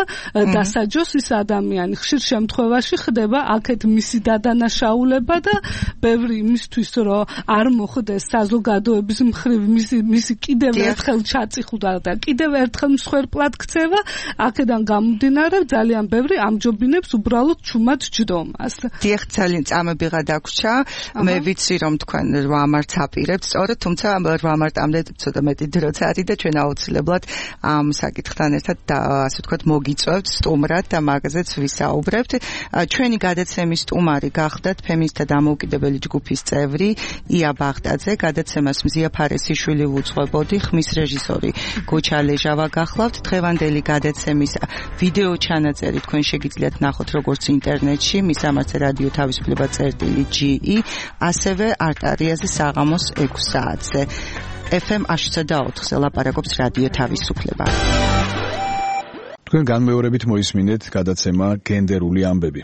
დასაჯოს ის ადამიანი. ხშირ შემთხვევაში ხდება აქეთ მისი დადანაშაულება და ბევრი იმისთვის, რომ არ მოხდეს საზოგადოების მხრივ მისი მისი კიდევ ერთხელ ჩაწიხუდა და კიდევ ერთხელ მსხვერპლად ქცევა, აქედან გამომდინარე ძალიან ბევრი ამჯობინებს უბრალოდ ჩუმად ჯდომას. დიახ, ძალიან წამებიღა დაგვრჩა. მე ვიცი, რომ თქვენ რვა მარტს აპირებთ, სწორედ, თუმცა რვა მარტამდე ცოტა მეტი დროც არის და ჩვენ აუცილებლად ამ საკითხთან ერთად ასე ვთქვათ მოგიწევთ სტუმრად და მაგაზეც ვისაუბრებთ. ჩვენი გადაცემის სტუმარი გახდათ ფემინისტთა დამოუკიდებელი ჯგუფის წევრი ია ბახტაძე, გადაცემას მზია ფარესიშვილი უძღვებოდი, ხმის რეჟისორი გოჩა ლეჟავა გახლავთ. დღევანდელი გადაცემის ვიდეო ჩანაწერი თქვენ შეგიძლიათ ნახოთ როგორც ინტერნეტში, მისამართზე რადიო თავისუფლება წერტილი ჯი ი, ასევე არტარიაზე საღამოს ექვს საათზე. ეფ ემ აშუცა და ოთხზე ლაპარაკობს რადიო თავისუფლება. თქვენ განმეორებით მოისმინეთ გადაცემა გენდერული ამბები.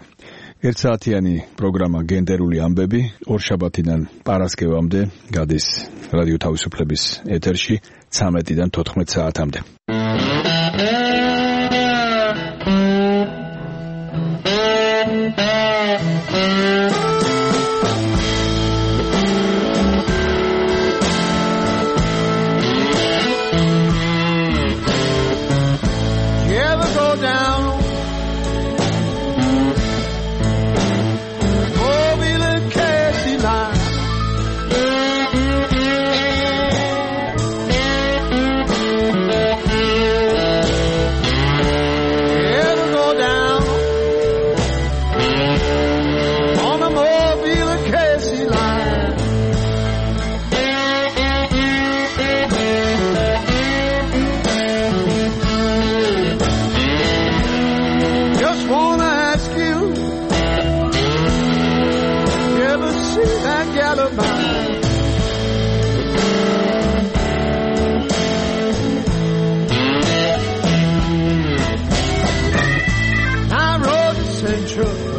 ერთსაათიანი პროგრამა გენდერული ამბები ორშაბათიდან პარასკევამდე გადის რადიო თავისუფლების ეთერში ცამეტიდან თოთხმეტ საათამდე. Central